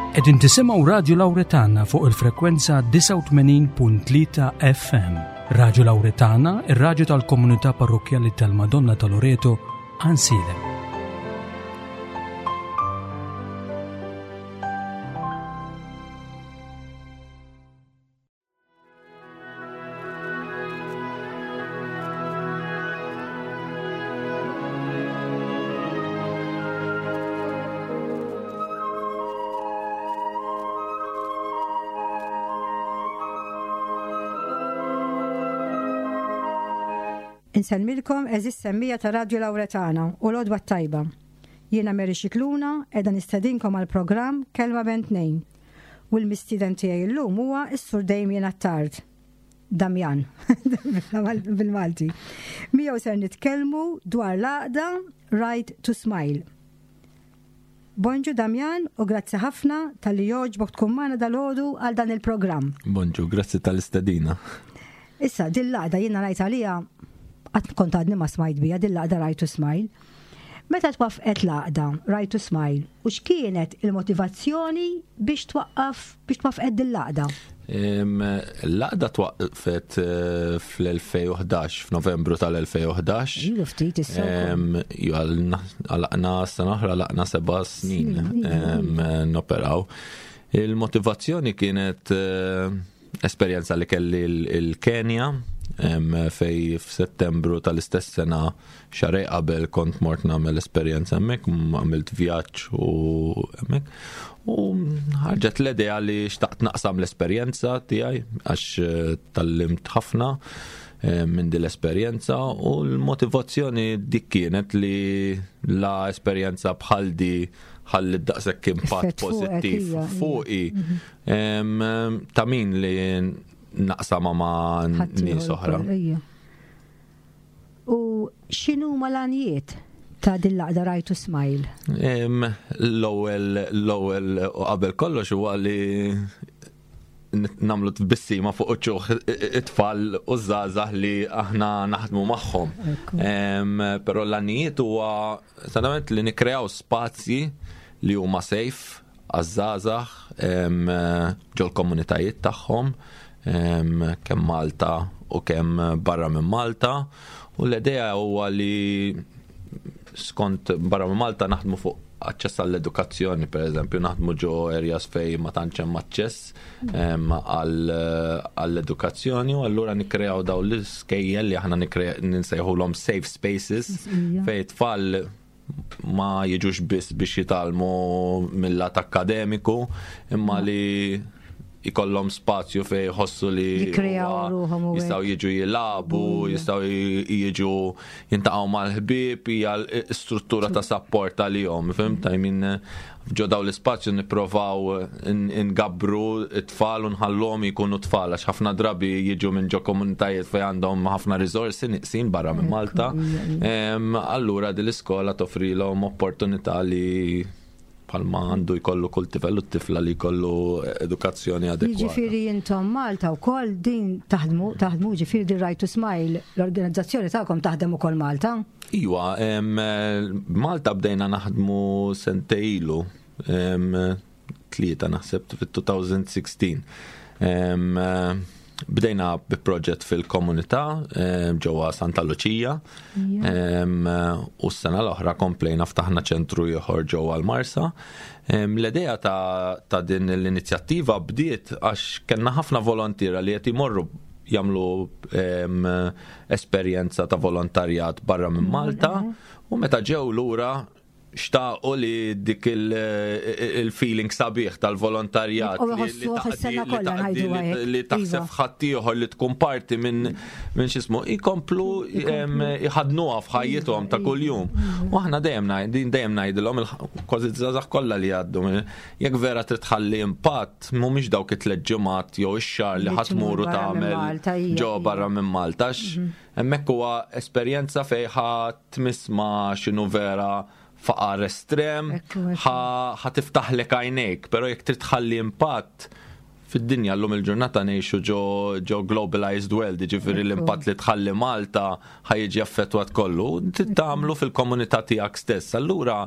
Qegħdin tisimgħu Radju Lawretana fuq il-frekwenza 89.3 FM. Radju Lawretana, ir-radju tal-komunità parrokkjali tal-Madonna ta' Loreto, Ansilem. Insellmilkom eżis semmija ta' Radju Lawretana u l-Odwa Tajba. Jiena Mary Xikluna edha nistedinkom għal programm Kelma Ben Tnejn. U l-mistieden tiegħi llum huwa s-Sur Damien Attard. Damjan, bil-Malti. Miegħu ser nitkellmu dwar l-għaqda Right to Smile. Bonġu Damjan u grazzi ħafna tal-li joġbok tkun magħna dal-ħodu għal dan il-programm. Bonġu, grazzi tal-istedina. Issa, din l-għaqda jiena rajt għalija qatt kont għadni ma smajt bija din l-għaqda Right to Smile. Meta twaffqet l-għaqda Right to Smile u x'kienet il-motivazzjoni biex twaqqaf biex twaffqet din l-għaqda? L-għaqda twaqqfet eh, fl-2011, f'Novembru tal-2011. Ilu ftit issa. Għalaqna sena oħra, għalaqna seba' snin noperaw. Il-motivazzjoni kienet eh, esperjenza li kelli l-Kenja fej f'Settembru tal-istess sena xarej qabel kont mort nagħmel esperjenza hemmhekk, għamilt vjaġġ u hemmhekk. U ħarġet l-idea li xtaqt naqsam l-esperjenza tiegħi għax eh, tallimt ħafna eh, minn din l-esperjenza u l-motivazzjoni dik kienet li la esperjenza bħal di ħalli daqshekk impatt pożittiv fuqi. Mhm. Ta' min li naqsama ma' nies oħra. U x'inhu l-għanijiet ta' din l-għaqda Right to Smile? L-ewwel l-ewwel u qabel kollox huwa li namlu tbissima fuq uċuħ it-tfal u żgħażagħ li aħna naħdmu magħhom. Però l-għanijiet huwa sanament li nikkreaw spazji li huma safe għaż-żgħażagħ ġol-komunitajiet tagħhom kemm Malta u kemm barra minn Malta u l-idea huwa li skont barra minn Malta naħdmu fuq aċċess għall-edukazzjoni, per eżempju, naħdmu ġo areas fej ma tantx hemm aċċess għall-edukazzjoni u allura nikkreaw dawn l-iskejjel li aħna ninsejħulhom safe spaces fej tfal ma jiġux biss biex jitgħallmu mill-lat akkademiku, imma li jkollhom spazju fej jħossu li jistgħu jiġu jilagħbu, jistgħu jiġu jintaqgħu mal-ħbieb, hija struttura ta' sapport għalihom, fhimt? I mean, ġo daw l-ispazju nipprovaw ngabru t-tfal u nħalluhom jkunu tfal għax ħafna drabi jiġu minn ġo komunitajiet fejn għandhom ħafna riżorsi niqsin barra minn Malta. Allura din l-iskola toffrilhom opportunità li bħalma għandu jkollu kull tifel u tifla li jkollu edukazzjoni adekwata. Jiġifieri intom Malta wkoll din taħdmu, taħdmu ġifieri din Right to Smile, l-organizzazzjoni tagħkom taħdem ukoll Malta? Iwa, Malta bdejna naħdmu sentej ilu, tlieta naħseb fit-2016. Bdejna bi proġett fil-komunità ġewwa Santa Luċija u s-sena l-oħra komplejna ftaħna ċentru ieħor ġewwa l-Marsa. L-idea ta' din l-inizjattiva bdiet għax kellna ħafna volontiera li qed imorru jagħmlu esperjenza ta' volontarjat barra minn Malta u meta ġew lura xtaqu li dik il-feeling sabiħ tal-volontarjat li taħseb ħaddieħor li tkun parti minn minn x'ismu jkomplu jħadnuha f'ħajjithom ta' kuljum. U aħna dejjem dejjem ngħidilhom kważi żgħażagħ kollha li jgħaddu jekk vera trid tħalli impatt mhumiex dawk it-tliet ġimgħat jew ix-xahar li ħadd tmuru tagħmel ġo barra minn Malta. Mhm. Hemmhekk huwa esperjenza fejn ħa tmiss ma' x'inhu vera faqar estrem, ħa tiftaħlek għajnejk, però jekk trid tħalli impatt. Fid-dinja llum il-ġurnata ngħixu ġo ġo globalized world, jiġifieri l-impatt li tħalli Malta ħa jiġi affettwat kollu, trid tagħmlu fil-komunità tiegħek stess. Allura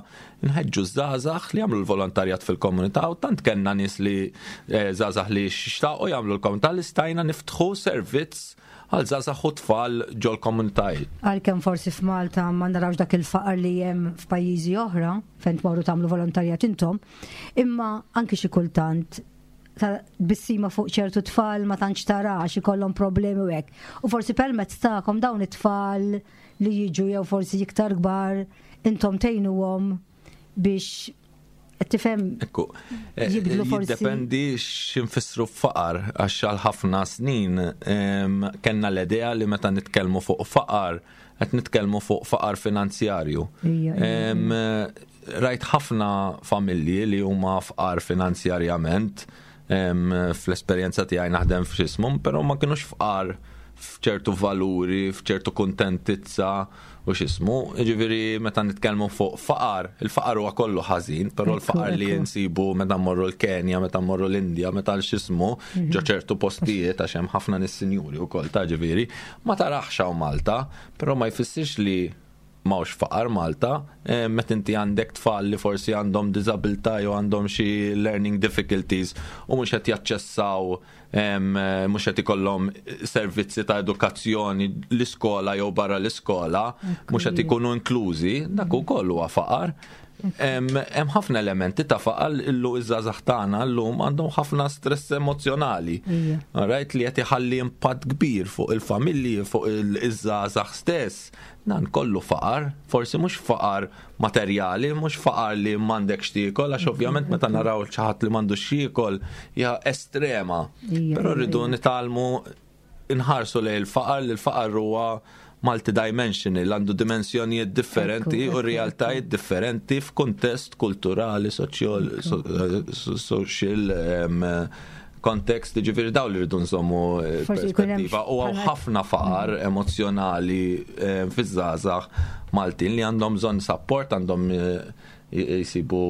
nħeġġu żgħażagħ li jagħmlu l-volontarjat fil-komunità u tant kellna nies li eh, żgħażagħ li xtaqu jagħmlu l-komunità li stajna niftħu servizz għal żgħażagħ u tfal ġol komunitajiet. Għalkemm forsi f'Malta ma narawx dak il-faqar li hemm f'pajjiżi oħra fejn tmorru tagħmlu volontarjat intom, imma anki xi kultant tbissima fuq ċertu tfal ma tantx tara għax ikollhom problemi u hekk. U forsi permezz tagħkom dawn it-tfal li jiġu jew forsi iktar kbar intom tgħinuhom biex tifhem Ekku, eh, jibdlu forsi. Jiddependi x'infissru faqar għax għal ħafna snin kellna l-idea li meta nitkellmu fuq faqar qed nitkellmu fuq faqar finanzjarju. Rajt ħafna familji li huma fqar finanzjarjament fl-esperjenza tiegħi naħdem f'xismum, però ma kinux fqar f'ċertu valuri, f'ċertu kuntentizza u x'ismu. Jiġifieri meta nitkellmu fuq faqar, il-faqar huwa kollu ħażin, però l-faqar li nsibu meta mmorru l-Kenja, meta mmorru l-Indja, meta l-x'ismu, mhm. ġo ċertu postijiet għax hemm ħafna nies sinjuri wkoll ta' ġifieri, ma tarax hawn Malta, però ma jfissirx li m'hawnx faqar Malta, eh, meta inti għandek tfal li forsi għandhom diżabilità jew għandhom xi learning difficulties u mhux qed jaċċessaw eh, mhux qed ikollhom servizzi ta' edukazzjoni l-iskola jew barra l-iskola, mhux qed ikunu inklużi, dak ukoll huwa faqar. Hemm ħafna elementi ta' faqar illu iż-żgħażagħ tagħna llum għandhom ħafna stress emozjonali. Right li qed iħalli impatt kbir fuq il-familji, fuq iż-żgħażagħ stess. Dan kollu faqar, forsi mhux faqar materjali, mhux faqar li m'għandekx tiekol, għax ovvjament meta naraw xi ħadd li m'għandux jiekol hija estrema. Però rridu nitgħallmu nħarsu lejn il-faqar li l-faqar huwa multidimensional, għandu dimensjonijiet differenti u realtajiet differenti f'kuntest kulturali, social, social kontekst, ġifiri daw li rridu nżommu eh, perspettiva. U għaw ħafna faqar mm. emozjonali eh, fiż-żgħażagħ Maltin li għandhom bżonn support, għandhom eh, jisibu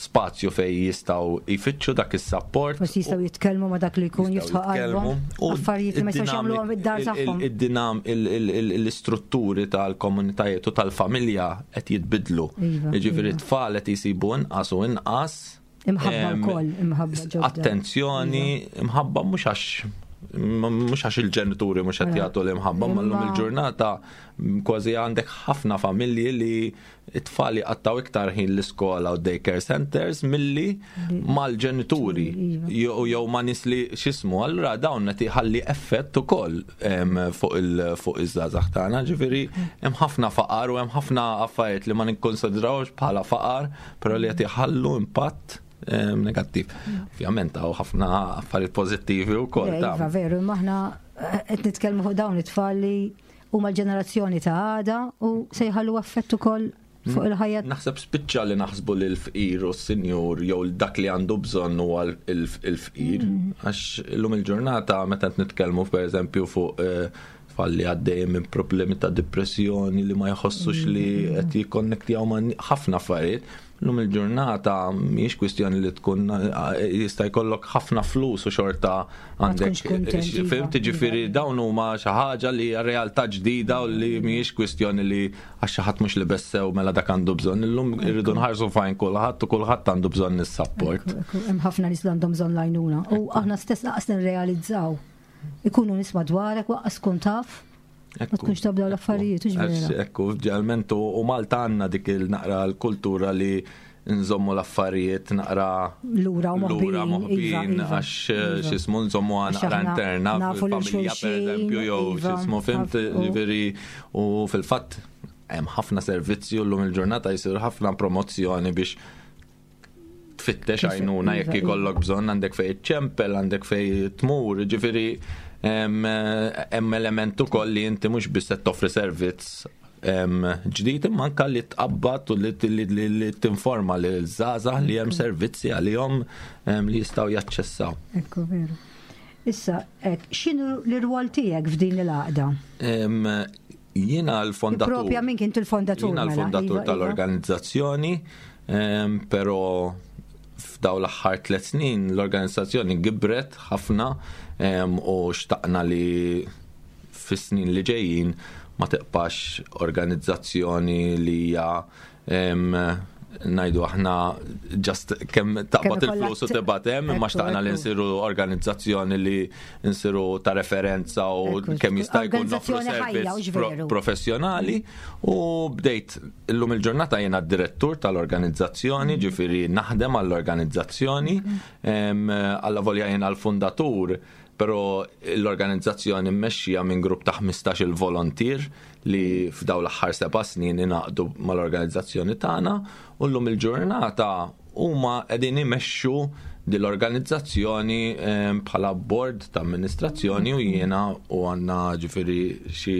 spazju fej jistaw jfittxu dak is-support. Forsi jistaw jitkellmu ma dak li jkun jiftħu qalbhom. Affarijiet li ma jistgħux jagħmluhom id-dar tagħhom. Id-dinam l-istrutturi tal-komunitajiet u tal-familja qed jitbidlu. Iva, Jiġifieri iva. tfal qed jisibu inqas u inqas Imħabba wkoll, imħabba ġodda. Attenzjoni, iva. imħabba mhux għax mhux għax il-ġenituri mhux qed jagħtu l-imħabba, ma llum il-ġurnata kważi għandek ħafna familji li t-tfal jqattaw iktar ħin l-iskola u daycare centers milli mal-ġenituri iva. jew ma' nies li x'ismu, allura dawn qed iħalli effett ukoll fuq iż-żgħażagħ tagħna, ġifieri hemm ħafna faqar u hemm ħafna affarijiet li ma nikkonsidrawx bħala faqar però li qed iħallu impatt eh, negattiv. Ovvjament hawn ħafna affarijiet pożittivi wkoll. Iva, veru, imma aħna eh, qed nitkellmu fuq dawn it-tfal li huma l-ġenerazzjoni ta' għada u se jħallu affett ukoll fuq mm. il-ħajja. Naħseb spiċċa li naħsbu li l-fqir u s-sinjur jew dak li għandu bżonn huwa l-fqir. Mm. Għax illum il-ġurnata meta qed nitkellmu pereżempju fuq eh, Tfal li għaddejjin minn problemi ta' depressjoni li ma jħossux li mm. qed jikkonnektjaw ma' ħafna affarijiet. Lum il-ġurnata mhijiex kwistjoni li tkun jista' jkollok ħafna flus u xorta għandek. Iva, Fim ġifieri iva. dawn huma xi ħaġa li hija realtà ġdida u li mhijiex kwistjoni li għax xi ħadd mhux li bessew mela dak għandu bżonn. Illum irridu nħarsu fajn kulħadd u kulħadd għandu bżonn is-support. Hemm ħafna nies li għandhom bżonn l-għajnuna u aħna stess laqas nirrealizzaw Ikunu nies madwarek waqqas tkun taf. Ma tkunx taf dawn l-affarijiet, hux vera. Ekku, ġeneralment u Malta għandna dik il-naqra l-kultura li nżommu l-affarijiet naqra lura u lura moħbin iva, iva, għax eh, iva. xismu nżommu naqra interna nafu lil fil-familja per eżempju jew iva, xismu fimt ġifieri u fil-fatt hemm ħafna servizzi u llum il-ġurnata jsir ħafna promozzjoni biex tfittex għajnuna jekk iva, ikollok iva. bżonn għandek fej ċempel, għandek fej tmur, ġifieri hemm element ukoll li inti mhux biss qed toffri servizz ġdid imma anke li tqabbad u li tinforma lil żgħażagħ li hemm servizzi għalihom li jistgħu jaċċessaw. Ekku veru. Issa, x'inhu l-irwol tiegħek f'din il-għaqda? Jiena l-fondatur. Propja minn kint il-fondatur. Jiena mela, l-fondatur iva, iva. tal-organizzazzjoni, però F'daw l-aħħar 3 snin l-organizzazzjoni gibret ħafna u xtaqna li fis-snin li ġejjin ma tibqax organizzazzjoni li hija ngħidu aħna just kemm taqbad il-flus u tibgħat hemm, imma xtaqna li nsiru organizzazzjoni li nsiru ta' referenza u kemm jista' jkun noffru servizz professjonali. U bdejt illum il-ġurnata jiena d-direttur tal-organizzazzjoni, ġifieri naħdem għall-organizzazzjoni, alla volja jiena l-fundatur, però l-organizzazzjoni mmexxija minn grupp ta' 15 il-volontier li f'daw l-aħħar 7 snin ingħaqdu mal-organizzazzjoni tagħna u llum il-ġurnata huma qegħdin imexxu dil-organizzazzjoni bħala board ta' amministrazzjoni u jiena u għandna ġifieri xi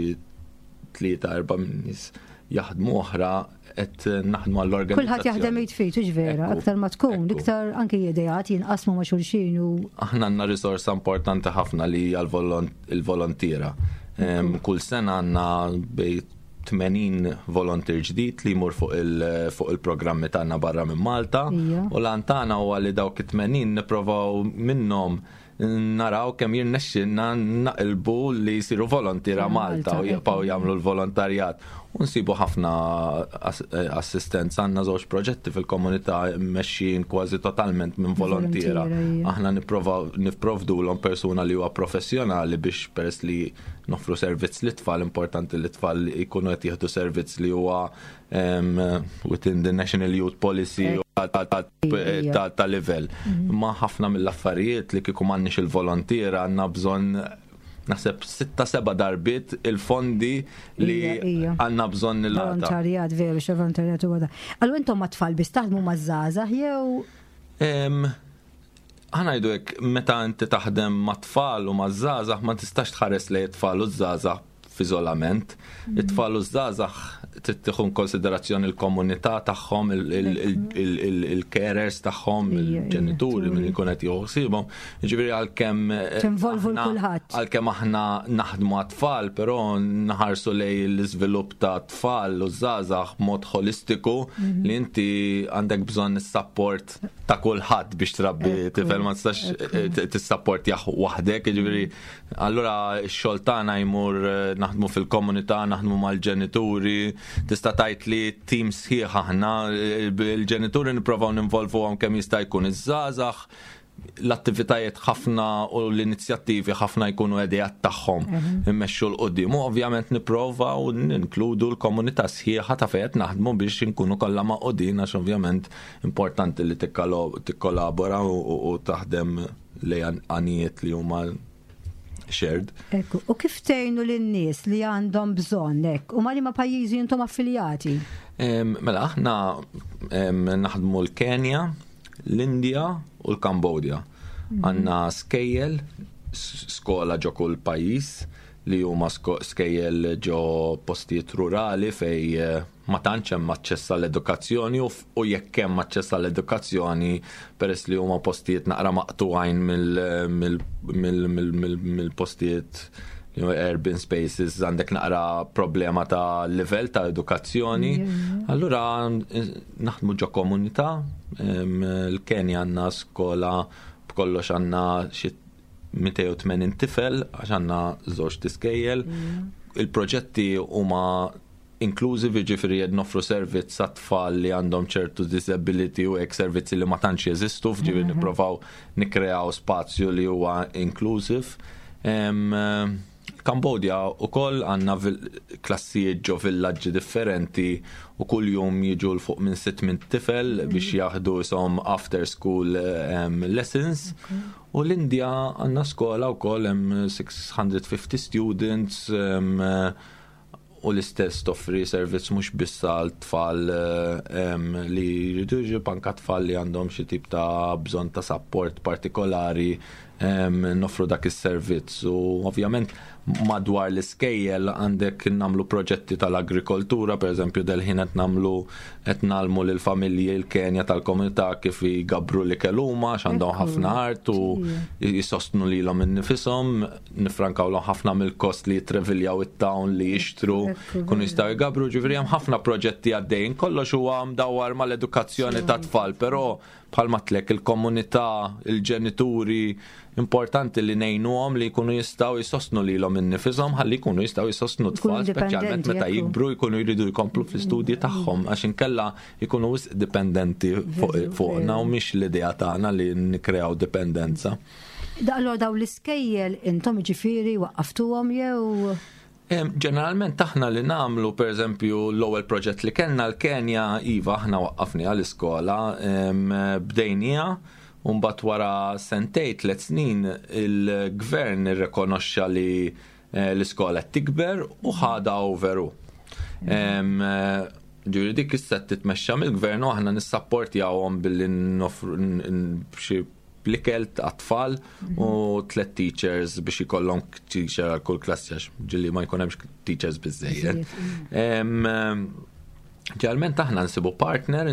3-4 nies jaħdmu oħra qed naħdmu għall-organizzazzjoni. Kulħadd jaħdem jitfit, hux vera, aktar ma tkun, iktar anki ideat jinqasmu ma' xulxin u. Aħna għandna risorsa importanti ħafna li hija l-volontiera. Kull sena għandna bej 80 volontier ġdid li jmur fuq il-programmi tagħna barra minn Malta. U lan tagħna huwa li dawk it-80 nipprovaw minnhom naraw kemm jirnexxilna naqilbu li jsiru volontiera Malta u jibqgħu jagħmlu l-volontarjat. U nsibu ħafna assistenza, għandna żewġ proġetti fil-komunità mmexxijin kważi totalment minn volontiera. Aħna nipprovdulhom persuna li huwa professjonali biex peress li noffru servizz lit-tfal, importanti li t-tfal jkunu qed jieħdu servizz li huwa within the National Youth Policy ta' livell. Ma ħafna mill-affarijiet li kieku m'għandniex il-volontiera għandna bżonn naħseb 6-7 darbiet il-fondi li għandna bżonn il Volontarjat, veru, xe volontarjat huwa da. Allura intom ma tfal biss taħdmu ma' żgħażagħ jew? Ħa ngħidu hekk, meta inti taħdem ma' tfal u ma' żgħażagħ ma tistax tħares lejn it-tfal u ż-żgħażagħ f'iżolament. It-tfal u ż-żgħażagħ trid tieħu konsiderazzjoni l-komunità tagħhom, il-carers tagħhom, il-ġenituri min ikun qed jieħu ħsiebhom. Jiġifieri għalkemm Tinvolvu l-kulħadd. Għalkemm aħna naħdmu għat-tfal, però nħarsu lejn l-iżvilupp ta' tfal u żgħażagħ b'mod ħolistiku li inti għandek bżonn is-sapport ta' kulħadd biex trabbi tifel, ma tistax tissapportjah waħdek, jiġifieri Allura x-xogħol tagħna jmur naħdmu fil-komunità, naħdmu mal-ġenituri, tista' tgħid li tim sħiħ aħna, il-ġenituri nipprovaw ninvolvuhom kemm jista' jkun, iż-żgħażagħ l-attivitajiet ħafna u l-inizjattivi ħafna jkunu ideat tagħhom immexxu 'l quddiem. U ovvjament nipprovaw ninkludu l-komunità sħiħa ta' fejn qed naħdmu biex inkunu kollha magħqudin għax ovvjament importanti li tikkollabora u taħdem lejn għanijiet li huma shared. Ekku, u kif tgħinu lin-nies li għandhom bżonn hekk? U ma' liema pajjiżi intom affiljati? Mela, aħna naħdmu l-Kenja, l-Indja u l-Kambodja. Għandna skejjel, skola ġo kull pajjiż li huma skejjel ġo postijiet rurali fej ma tantx hemm aċċess għall-edukazzjoni u jekk hemm aċċess għall-edukazzjoni peress li huma postijiet naqra maqtugħin mill-postijiet urban spaces għandek naqra problema ta' livell ta' edukazzjoni. Allura naħdmu ġo komunità, l-Kenja għandna skola b'kollox għandna xi 280 tifel għax għandna żewġ tiskejjel. Il-proġetti huma inclusive, jiġifieri qed noffru servizz għat-tfal li għandhom ċertu disability u hekk servizzi li ma tantx jeżistu, ġifieri nipprovaw nikkreaw spazju li huwa inclusive. Kambodja wkoll għandna klassijiet ġo villaġġi differenti u kull jum jiġu 'l fuq minn 600 tifel biex jaħdu ishom after school lessons. U l-Indja għandna skola wkoll hemm 650 students u l-istess toffri servizz mhux biss għal tfal li jridu jiġu, anke tfal li għandhom xi tip ta' bżonn ta' support partikolari noffru dak is-servizz. U ovvjament madwar l-iskejjel għandek nagħmlu proġetti tal-agrikoltura, pereżempju del-ħin qed nagħmlu qed ngħallmu lill-familji l-Kenja tal-komunità kif jgabru l-ikel huma għax għandhom ħafna art u jisostnu lilhom innifishom, nifrankawlhom ħafna mill-kost li jitreviljaw it-town li jixtru, kunu jistgħu jgabru, ġifieri hemm ħafna proġetti għaddejjin, kollox huwa mdawwar mal-edukazzjoni tat-tfal, però Bħalma tlek il-komunità, il-ġenituri, importanti li ngħinuhom li jkunu jistgħu jsostnu lilhom innifishom ħalli jkunu jistgħu jsostnu tfal, speċjalment meta jikbru jkunu jridu jkomplu fl-istudji tagħhom, għax inkella jkunu wisq dipendenti fuqna u mhix l-idea tagħna li nikkreaw dipendenza. Daqlo daw l-iskejjel intom ġifieri waqqaftuhom jew? Ġeneralment aħna li nagħmlu, pereżempju, l-ewwel proġett li kellna l-Kenja, iva, aħna waqqafni għall-iskola, bdejnija, u mbagħad wara sentej, 3 snin, il-gvern irrekonoxxa li l-iskola qed tikber u ħadha over hu. Ġifieri dik issa titmexxa mill-gvern u aħna nissapportjawhom billi noffru xi l-ikel għat-tfal u tlet teachers biex ikollhom teacher għal kull klassi, għax ġieli ma jkun hemmx teachers biżejjed. Ġeneralment aħna nsibu partner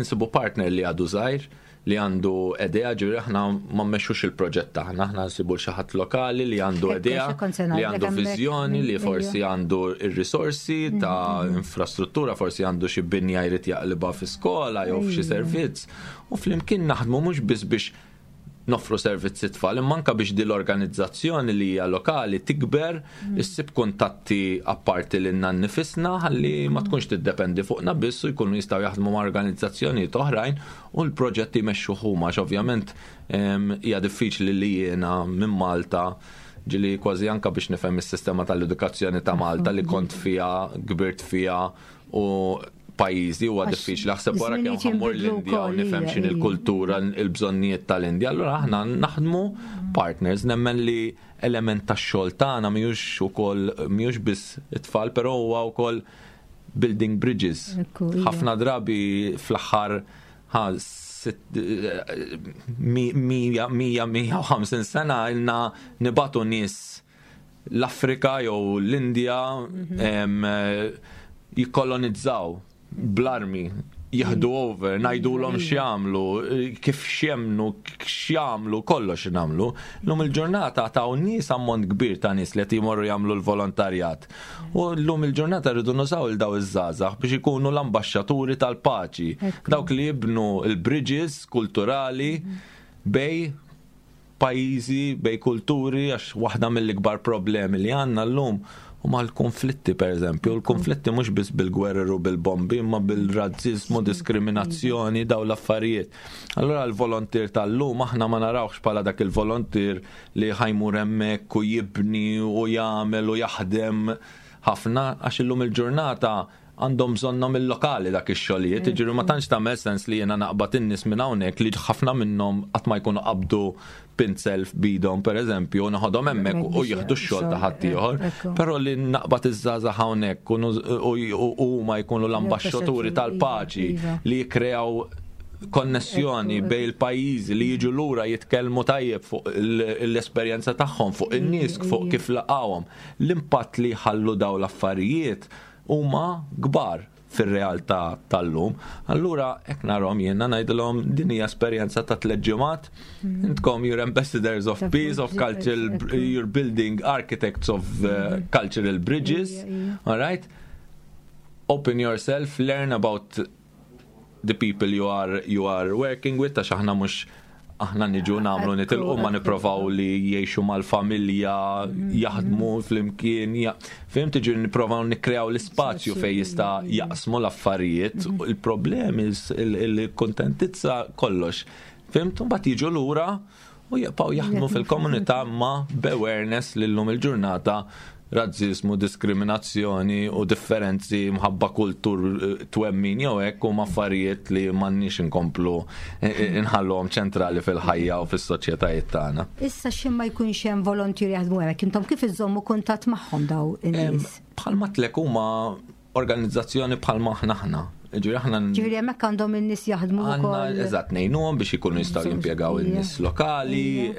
li għadu żgħir, li għandu idea, ġifieri aħna ma mmexxux il-proġett tagħna, aħna nsibu xi ħadd lokali li għandu idea, li għandu viżjoni, li forsi għandu ir-risorsi ta' infrastruttura, forsi għandu xi binja jrid jaqlibha fi skola jew f'xi servizz. U flimkien naħdmu mhux biss biex noffru servizzi tfal, imma anka biex di l-organizzazzjoni li hija lokali tikber, issib kuntatti apparti lilna nnifisna ħalli ma tkunx tiddependi fuqna biss u jkunu jistgħu jaħdmu ma' organizzazzjonijiet oħrajn u l-proġetti jmexxu huma, għax ovvjament hija diffiċli li jiena minn Malta, ġieli kważi anka biex nifhem is-sistema tal-edukazzjoni ta' Malta li kont fija, kbirt fija u pajjiżi, huwa diffiċli. Aħseb wara kemm ħa mmur l-Indja u nifhem x'in il-kultura, il-bżonnijiet tal-Indja. Allura aħna naħdmu partners, nemmen li element tax-xogħol tagħna mhijiex ukoll mhijiex biss it-tfal, però huwa wkoll building bridges. Ħafna drabi fl-aħħar 100, 150 sena ilna nibagħtu nies l-Afrika jew l-Indja jikkolonizzaw bl-armi, jieħdu over, ngħidulhom x'jagħmlu, kif x'jemmnu, x'jagħmlu, kollox nagħmlu. Lum il-ġurnata ta' nies, ammont kbir ta' nies li qed jmorru jagħmlu l-volontarjat. U llum il-ġurnata rridu nużaw il daw iż-żgħażagħ biex ikunu l-ambaxxaturi tal-paċi. Dawk li jibnu il-bridges kulturali bejn pajjiżi, bejn kulturi, għax waħda mill-ikbar problemi li għandna llum huma l-konflitti, per eżempju. L-konflitti mhux biss bil-gwerer u bil-bombi, imma bil-razzizmu, diskriminazzjoni, daw l-affarijiet. Allora l-volontier tal-lum aħna ma narawx bħala dak il-volontier li ħa jmur hemmhekk u jibni u jagħmel u jaħdem ħafna, għax illum il-ġurnata għandhom bżonnhom il-lokali dak ix-xogħlijiet, jiġifieri ma tantx tagħmel sens li jiena naqbad in-nies minn hawnhekk li ħafna minnhom qatt ma jkunu qabdu pinzel f'idhom, pereżempju, u noħodhom hemmhekk u jieħdu x-xogħol ta' ħaddieħor. Però li naqbad iż-żgħażagħ hawnhekk u huma jkunu l-ambaxxaturi tal-paċi li jikkreaw konnessjoni bejn il-pajjiżi, li jiġu lura jitkellmu tajjeb fuq l-esperjenza tagħhom, fuq in-nies, fuq kif laqgħuhom. L-impatt li jħallu daw l-affarijiet huma kbar fir-realtà tal-lum. Allura hekk narahom jiena, ngħidilhom din hija esperjenza ta' 3 ġimgħat. Intkom you're ambassadors of peace, of cultural, you're building architects of cultural bridges. All right? Open yourself, learn about the people you are working with, għax aħna mhux aħna niġu nagħmlu nitilqu, ma nipprovaw li jgħixu mal-familja, jaħdmu flimkien, fhimt, tiġi nipprovaw nikkreaw l-ispazju fejn jista' jaqsmu l-affarijiet, il-problemi, il-kontentizza, kollox. Fhimt, mbagħad jiġu lura u jibqgħu jaħdmu fil-komunità ma b'awareness li llum il-ġurnata razzizmu, diskriminazzjoni u differenzi mħabba kultur, twemmin jew hekk huma affarijiet li m'għandniex inkomplu inħalluhom ċentrali fil-ħajja u fis-soċjetajiet tagħna. Issa xi ma jkunx hemm volontieri jaħdmu hemmhekk, intom kif iżommu kuntatt magħhom daw in-nies? Bħalma tlek huma organizzazzjoni bħalma aħna aħna. Ġifieri aħna Ġifieri hemmhekk għandhom in-nies jaħdmu Għanna, wkoll. eżatt, ngħinuhom biex ikunu jistgħu jimpjegaw in-nies lokali,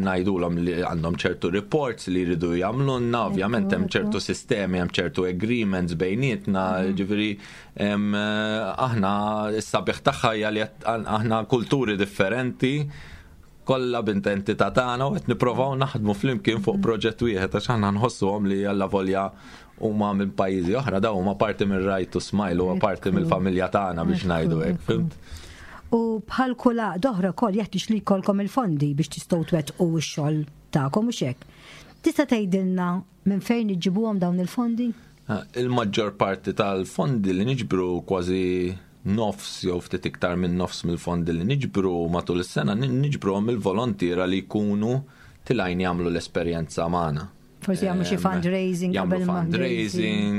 ngħidulhom li għandhom ċertu reports li jridu jagħmlulna, ovvjament hemm ċertu sistemi, hemm ċertu agreements bejnietna, ġifieri aħna s-sabiħ tagħha hija li aħna kulturi differenti kollha b'intentità tagħna u qed nipprovaw naħdmu flimkien fuq proġett wieħed, għax aħna nħossuhom li alla volja huma minn pajjiżi oħra, daw huma parti minn Right to Smile, huwa parti mill-familja tagħna biex ngħidu hekk, fhimt? U bħal kull għaqda oħra wkoll jeħtieġ li jkollkom il-fondi biex tistgħu twettqu x-xogħol tagħkom u hekk. Tista' tgħidilna minn fejn iġġibuhom dawn il-fondi? Il-maġġor parti tal-fondi li niġbru, kważi nofs jew ftit iktar minn nofs mill-fondi li niġbru matul is-sena, niġbruhom mill-volontiera li jkunu telgħin jagħmlu l-esperjenza magħna. Forsi jagħmlu xi fundraising. Jagħmlu fundraising,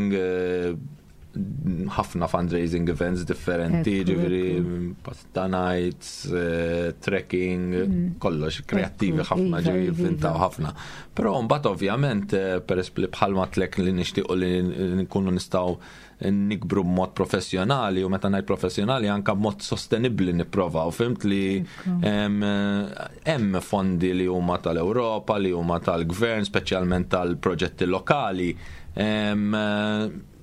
ħafna fundraising events differenti, ġifieri pasta nights, trekking, kollox, kreattivi ħafna, ġifieri jivvintaw ħafna. Però mbagħad ovvjament, peress li bħalma għedtlek li nixtiequ li nkunu nistgħu nikbru b'mod professjonali, u meta ngħid professjonali anka b'mod sostenibbli nipprovaw, fhimt, li hemm fondi li huma tal-Ewropa, li huma tal-gvern, speċjalment tal-proġetti lokali.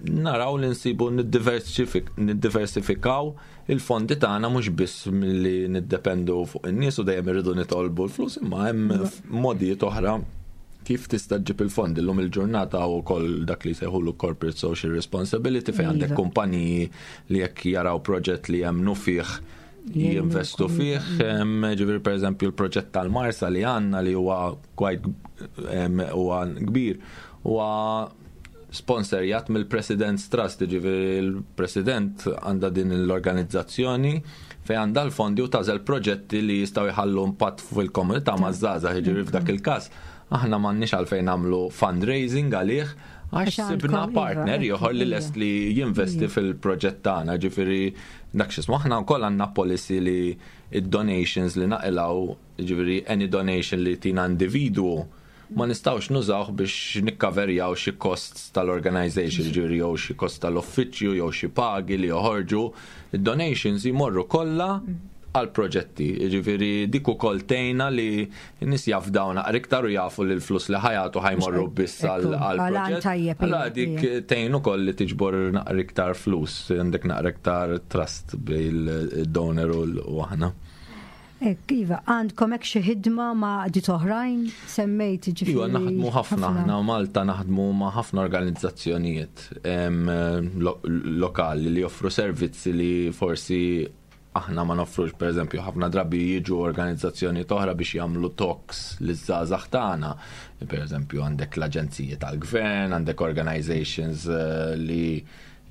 Naraw li nsibu niddiversifikaw il-fondi tagħna, mhux biss milli niddependu fuq in-nies u dejjem irridu nitolbu l-flus, imma hemm modijiet oħra kif tista' ġġib il-fondi. Illum il-ġurnata u koll dak li sejħulu corporate social responsibility, fejn għandek kumpaniji li jekk jaraw proġett li jemmnu fih jinvestu fih. Ġifieri, per eżempju, il-proġett tal-Marsa li għandna, li huwa quite huwa kbir, huwa sponsorjat mill-President's Trust, ġifieri il-President għandha din l-organizzazzjoni fejn għandha l-fondi u tagħżel proġetti li jistgħu jħallu impatt fil-komunità maż-żgħażagħ, ġifieri f'dak il-każ aħna m'għandniex għalfejn nagħmlu fundraising għalih għax sibna partner ieħor li lest li jinvesti fil-proġett tagħna, ġifieri dak x'ismu. Aħna wkoll għandna policy li id-donations li naqilgħu, ġifieri any donation li tina individwu, ma nistgħux nużawh biex nikkaverjaw xi costs tal-organization, ġifieri jew xi cost tal-uffiċċju jew xi pagi li joħorġu. Id-donations jmorru kollha għal proġetti, ġifieri dik ukoll tgħinna li n-nies jafdaw naqra iktar u jafu li l-flus li ħa jagħtu ħa jmorru biss għal proġett. Allora dik tgħin ukoll li tiġbor naqra iktar flus, għandek naqra iktar trust bil-donor u aħna. Ek, iva, għandkom hekk xi ħidma ma' għaqdiet oħrajn, semmejt ġifieri. Iva, naħdmu ħafna, aħna Malta naħdmu ma' ħafna organizzazzjonijiet lokali li joffru servizzi li forsi aħna ma noffrux. Per eżempju, ħafna drabi jiġu organizzazzjoni oħra biex jagħmlu talks liż-żgħażagħ tagħna. Per eżempju, għandek l-aġenziji tal-gvern, għandek organizations li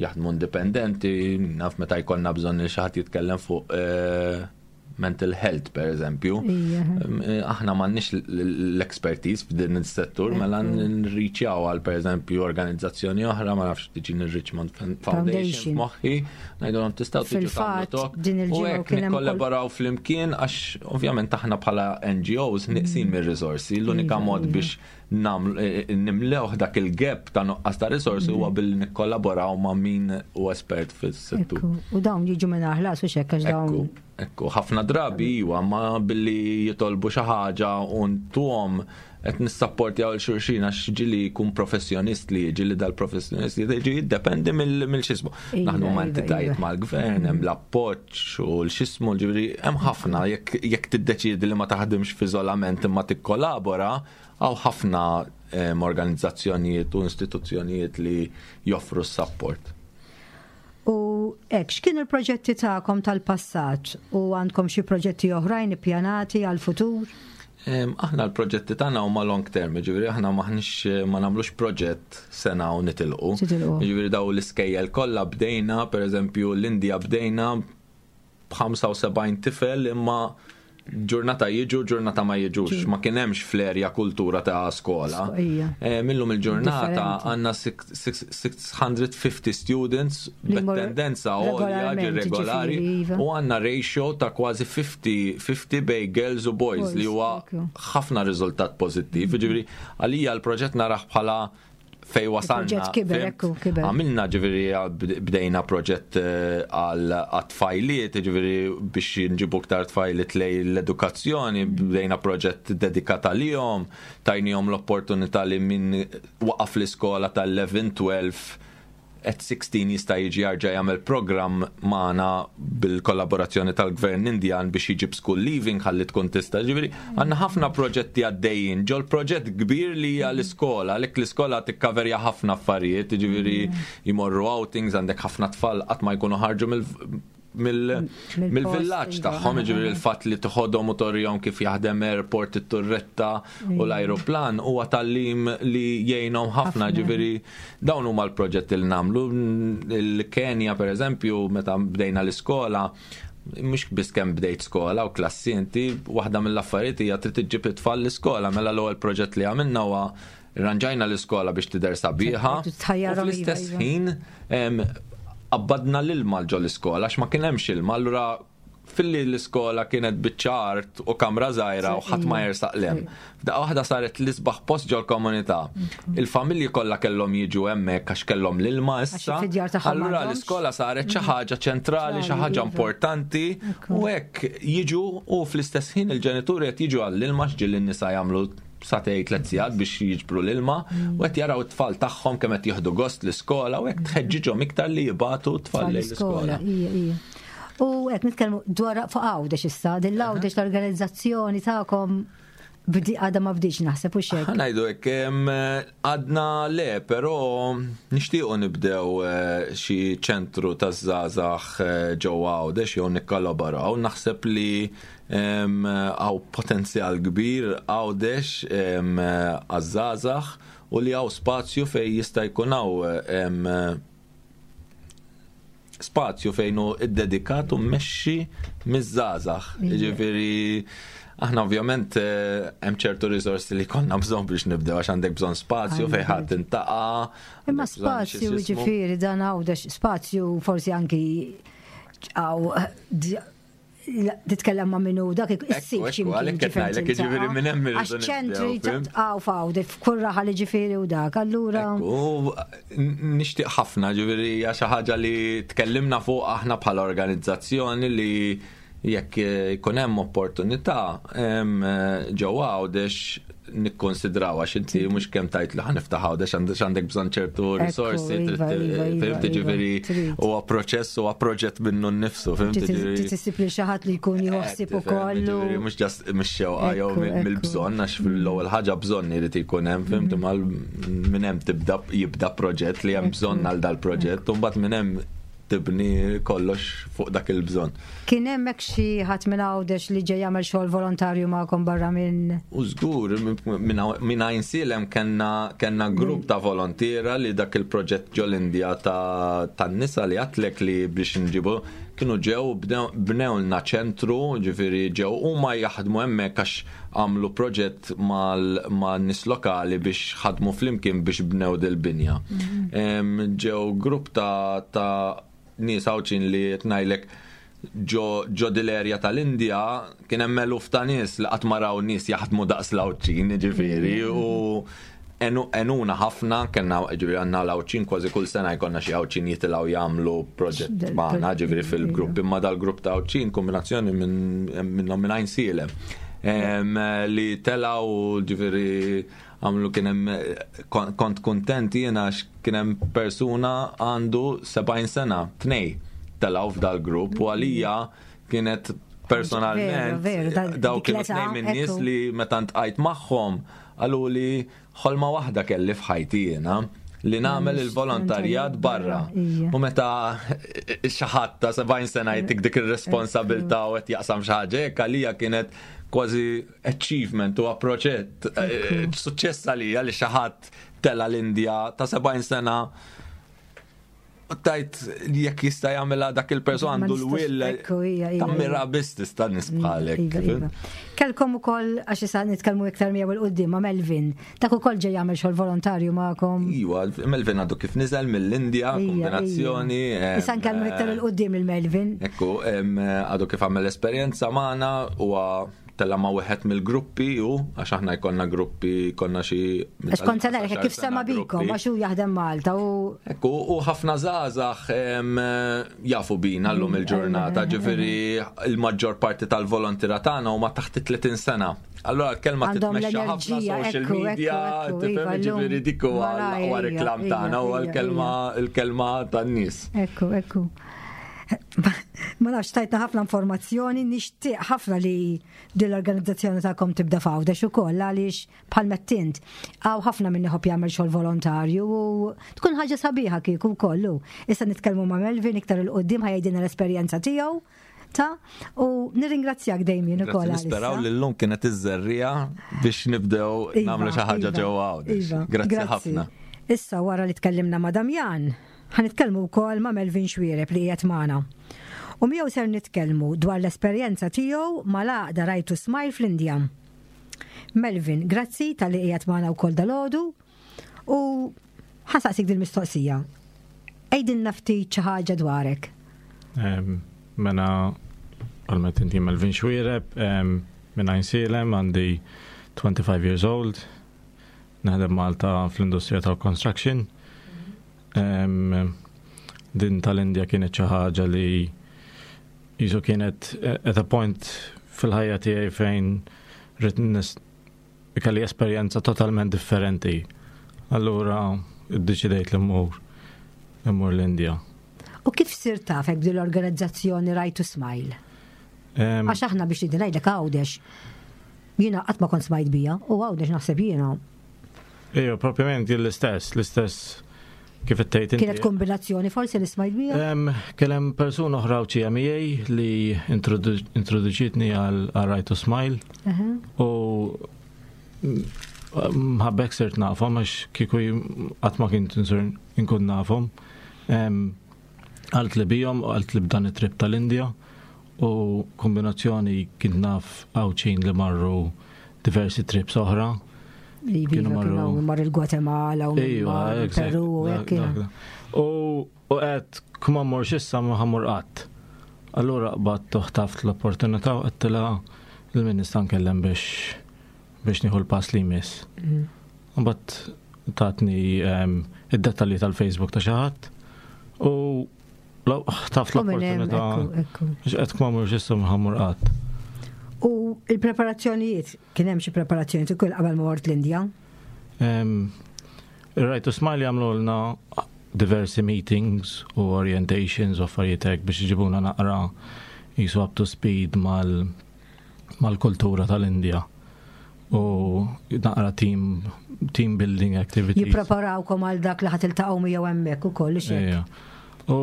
jaħdmu indipendenti, naf meta jkollna bżonn li xi ħadd jitkellem fuq mental health, per eżempju. Aħna m'għandniex l-expertise f'din is-settur, mela nriċjaw għal, per eżempju, organizzazzjoni oħra, ma nafx, tiġi Richmond Foundation moħħi, ngħidulhom tistgħu tiġu tagħmlu talk. U hekk nikkollaboraw flimkien għax ovvjament aħna bħala NGOs neqsin mir-riżorsi, l-unika mod biex nimlewh dak il-gap ta' nuqqas ta' risorsi huwa billi nikkollaboraw ma' min u espert fis-settur. U dawn jiġu minn ħlas u xekk għax dawn. Ekku, ħafna drabi iwa, ma billi jitolbu xi ħaġa u ntuhom qed nissapportjaw lil xulxin, għax ġieli jkun professjonist li ġieli dal-professjonist li ġi jiddependi mill-xismu. Naħdmu ma' entitajiet mal-gvern, hemm l-appoġġ u l-xismu, ġifieri hemm ħafna jekk tiddeċiedi li ma taħdimx f'iżolament imma tikkollabora, hawn ħafna organizzazzjonijiet u istituzzjonijiet li joffru s-support. U hekk, x'kienu l-proġetti tagħkom tal-passat u għandkom xi proġetti oħrajn ippjanati għal-futur? Aħna l-proġetti tagħna huma long term, ġifieri aħna maħniex ma nagħmlux proġett sena u nitilqu. Ġifieri daw l-iskejjel kollha bdejna, pereżempju l-Indja bdejna b'75 tifel, imma ġurnata jiġu, ġurnata ma jiġux. Ma kien hemmx fl-erja kultura ta' skola. Millum il-ġurnata għandna 650 students b'attendenza għolja regolari, iva, u għandna ratio ta' kważi 50-50 bejn girls u boys, li huwa ħafna riżultat pożittiv. Ġifieri għalija l-proġett narah bħala fej wasalna. Għamilna, ġifieri bdejna proġett għal tfajliet, ġifieri biex nġibu ktar tfajliet lejn l-edukazzjoni, bdejna proġett dedikat għalihom, tajnihom l-opportunità li min waqaf l-iskola tal-11-12 at 16 jista' jiġi jerġa' jagħmel programm magħna bil-kollaborazzjoni tal-Gvern Indjan biex jiġib school leaving ħalli tkun tista'. Ġifieri għandna ħafna proġetti għaddejjin. Ġol proġett kbir li hija l-iskola, għalhekk l-iskola tikkaverja ħafna affarijiet, ġifieri jmorru outings, għandek ħafna tfal qatt ma jkunu ħarġu mill mill-villaġġ iva, tagħhom, jiġifieri l-fatt li toħodhom u torihom kif jaħdem airport, it-turretta u l-ajruplan huwa tagħlim li jgħinhom ħafna, ġifieri dawn huma l-proġetti li nagħmlu. Il-Kenja pereżempju meta bdejna l-iskola, mhux biss kemm bdejt skola u klassi inti, waħda mill-affarijiet hija trid iġġib it-tfal l-iskola, mela l-ewwel proġett li għamilna huwa rranġajna l-iskola biex tidher sabiħa. U fl-istess iva, iva. ħin qabbadna l-ilma ġo l-iskola għax ma kien hemmx ilma, allura filli l-iskola kienet biċċa art u kamra żgħira u ħadd ma jersaq lem. F'daqqa waħda saret l-isbaħ post ġol-komunità. Il-familji kollha kellhom jiġu hemmhekk għax kellhom l-ilma issa. Allura l-iskola saret xi ħaġa ċentrali, xi ħaġa iva. importanti u hekk jiġu u fl-istess ħin il-ġenituri qed jiġu għall-ilma x'ġieli n-nisa jagħmlu satej tlet sigħat biex jiġbru l-ilma u qed jaraw it-tfal tagħhom kemm qed jieħdu gost l-iskola u hekk tħeġġiġhom iktar li jibatu t-tfal lejn l-iskola. U qed nitkellmu dwar fuq Għawdex issa, din l-Għawdex l-organizzazzjoni tagħkom għadha ma bdietx naħseb u xejn. Ngħidu hekk għadna le, però nixtiequ nibdew eh, xi ċentru taż-żgħażagħ eh, ġewwa Għawdex jew nikkollaboraw. Naħseb li hawn potenzjal kbir Għawdex għaż-żgħażagħ u li hawn spazju fejn jista' jkun hawn spazju fejn hu iddedikat u mmexxi miż-żgħażagħ. Jiġifieri aħna ovvjament eh, hemm ċertu riżorsi li konna bżonn biex nibdew għax għandek bżonn spazju fejn ħadd intaqa'. Imma spazju jiġifieri dan għawdex spazju forsi anki għaw titkellem ma' minnu dak issib xi għalhekk qed ngħidlek jiġifieri minn hemm irridu ċentri għaw fawdi f'kull raħal jiġifieri u dak. Allura. U nixtieq ħafna ġifieri hija xi ħaġa li tkellimna fuq aħna bħala organizzazzjoni li jekk ikun hemm opportunità ġewwa Għawdex nikkonsidraw għax inti mhux kemm tajt li ħaniftaħ għawdex għandek għandek bżonn ċertu risorsi, iva, iva, iva, fhimt ġifieri huwa proċess huwa proġett minnu nnifsu, fhimt ġifieri. Tissib li xi ħadd li jkun jħossib ukoll. Mhux ġast mhux xewqa jew mill-bżonn għax fl-ewwel ħaġa bżonn irid ikun hemm, fhimt imma minn hemm tibda jibda proġett li hemm bżonn għal dal-proġett u mbagħad minn hemm tibni kollox fuq dak il-bżonn. Kien hemm hekk xi ħadd minn Għawdex li ġej jagħmel xogħol volontarju magħkom barra minn. U żgur, minn Għajnsielem kellna kellna grupp ta' volontiera li dak il-proġett ġol-Indja tan-nisa li għadtlek li biex nġibu kienu ġew bnewlna ċentru, ġifieri ġew huma jaħdmu hemmhekk għax għamlu proġett mal-nies lokali biex ħadmu flimkien biex bnew dil-binja. Mhm. Ġew grupp ta' ta' nies Għawdxin li qed ngħidlek ġo dil-erja tal-Indja kien hemm eluf ta' nies li qatt ma raw nies jaħdmu daqs l-Għawdxin, ġifieri, u enuna ħafna, kellna ġifieri għandna l-Għawdxin kważi kull sena jkollna xi Għawdxin jitilgħu jagħmlu proġett magħna ġifieri fil-grupp, imma dal-grupp ta' Għawdxin kombinazzjoni minnhom minn Għajnsielem li telgħu ġifieri għamlu kien hemm kont kuntent jiena għax kien hemm persuna għandu 70 sena, tnej telgħu f'dal-grupp u għalija kienet personalment daw kienu tnej minn nies li meta ntqajt magħhom Qaluli ħolma waħda kelli f'ħajti jiena li nagħmel il-volontarjat barra. U meta xi ħadd ta' 70 sena jtik dik ir-responsabilità u qed jaqsam xi ħaġa hekk għalija kienet kważi achievement u proġett eh, suċċess għalija li xi ħadd tela l-Indja ta' 70 sena tajt jekk jista' jagħmilha dak il-persun għandu l-will tammira biss tista' nies mm, bħalek. Iva, iva. Kelkom ukoll għax issa nitkellmu iktar miegħu il qudiem ma' Melvin. Dak ukoll ġej jagħmel xogħol volontarju magħkom. Iva, Melvin għadu kif niżel mill-Indja, kombinazzjoni. Issa nkellmu iktar il qudiem il Melvin. Ekku, għadu kif għamel esperjenza magħna huwa tella ma' wieħed mill-gruppi u għax aħna jkollna gruppi konna xi. Għax kont se ngħidlek kif sema bikom għax hu jaħdem Malta u. Ekku, u ħafna żgħażagħ jafu bina llum mm, il-ġurnata, eh, eh, eh, ġifieri il-maġġor parti tal-volontira tagħna huma taħt 30 sena. Allora l-kelma titmexxa ħafna social media, tifhem iva, ġifieri dik huwa l-aqwa reklam tagħna huwa l-kelma l-kelma tan-nies. Ekku, ekku. Ma nafx tajtna ħafna informazzjoni, nixtieq ħafna li din l-organizzazzjoni tagħkom tibda f'Għawdex ukoll għaliex bħal mettint hawn ħafna min iħobb jagħmel xogħol volontarju u tkun ħaġa sabiħa kieku wkoll. Issa nitkellmu ma' Melvin iktar 'il quddiem ħa jgħidilna l-esperjenza tiegħu ta' u nirringrazzjak Damien ukoll. Nisperaw li llum kienet iż-żerriegħa biex nibdew iva, nagħmlu xi ħaġa iva, ġewwa Għawdex. Iva, grazzi ħafna. Issa wara li tkellimna ma' Damjan, ħa nitkellmu wkoll ma' Melvin Xuereb li qiegħed magħna. U miegħu ser nitkellmu dwar l-esperjenza tiegħu mal-għaqda Right to Smile fl-Indja. Melvin, grazzi talli qiegħed magħna wkoll dalgħodu u ħa nsaqsik dil-mistoqsija. Għidilna ftit xi ħaġa dwarek. Mela, għalmet inti Melvin Xuereb, minn Għajnsielem, għandi 25 years old, naħdem Malta fl-industrija tal-construction. Din tal-Indja kienet xi ħaġa li jisu kienet at a point fil-ħajja tiegħi fejn rrid kelli esperjenza totalment differenti. Allura iddeċidejt li mmur immur l-Indja. U kif sirt tafek b'din l-organizzazzjoni Right to Smile? Għax aħna biex nidi ngħidlek Għawdex, jiena qatt ma kont smajt bija u Għawdex naħseb jiena. Ejja, propjament jien l-istess, l-istess kif qed tgħid inti. Kienet kombinazzjoni forsi li smajt bija? Kien hemm persuna oħra Għawdxija miegħi li introduċitni għal Right to Smile. U mħabbek sirt nafhom għax kieku qatt ma kien insir inkun nafhom. Għalt li bihom, għalt li b'dan it-trip tal-Indja u kombinazzjoni kien naf Għawdxin li marru diversi trips oħra. Kienu marru mar il-Gwatemala u Peru u hekk. U qed kuma mmorx issa ma ħammur qatt. Allura qbadt u ħtaft l-opportunità u għedtilha lil min nista' nkellem biex biex nieħu l-pass li jmiss. Mbagħad tatni id-dettalji tal-Facebook ta' xi ħadd u ħtaft l-opportunità. Biex qed ma mmurx issa ma ħammur qatt. U il-preparazzjonijiet, kien hemm xi preparazzjonijiet ukoll qabel ma mort l-Indja? Ir-Right to Smile jagħmlulna diversi meetings u orientations u affarijiet hekk biex iġibuna naqra jisu up to speed mal mal-kultura tal-Indja u naqra team team building activities. Jippreparawkom għal dak li ħa tiltaqgħu miegħu hemmhekk ukoll xi. U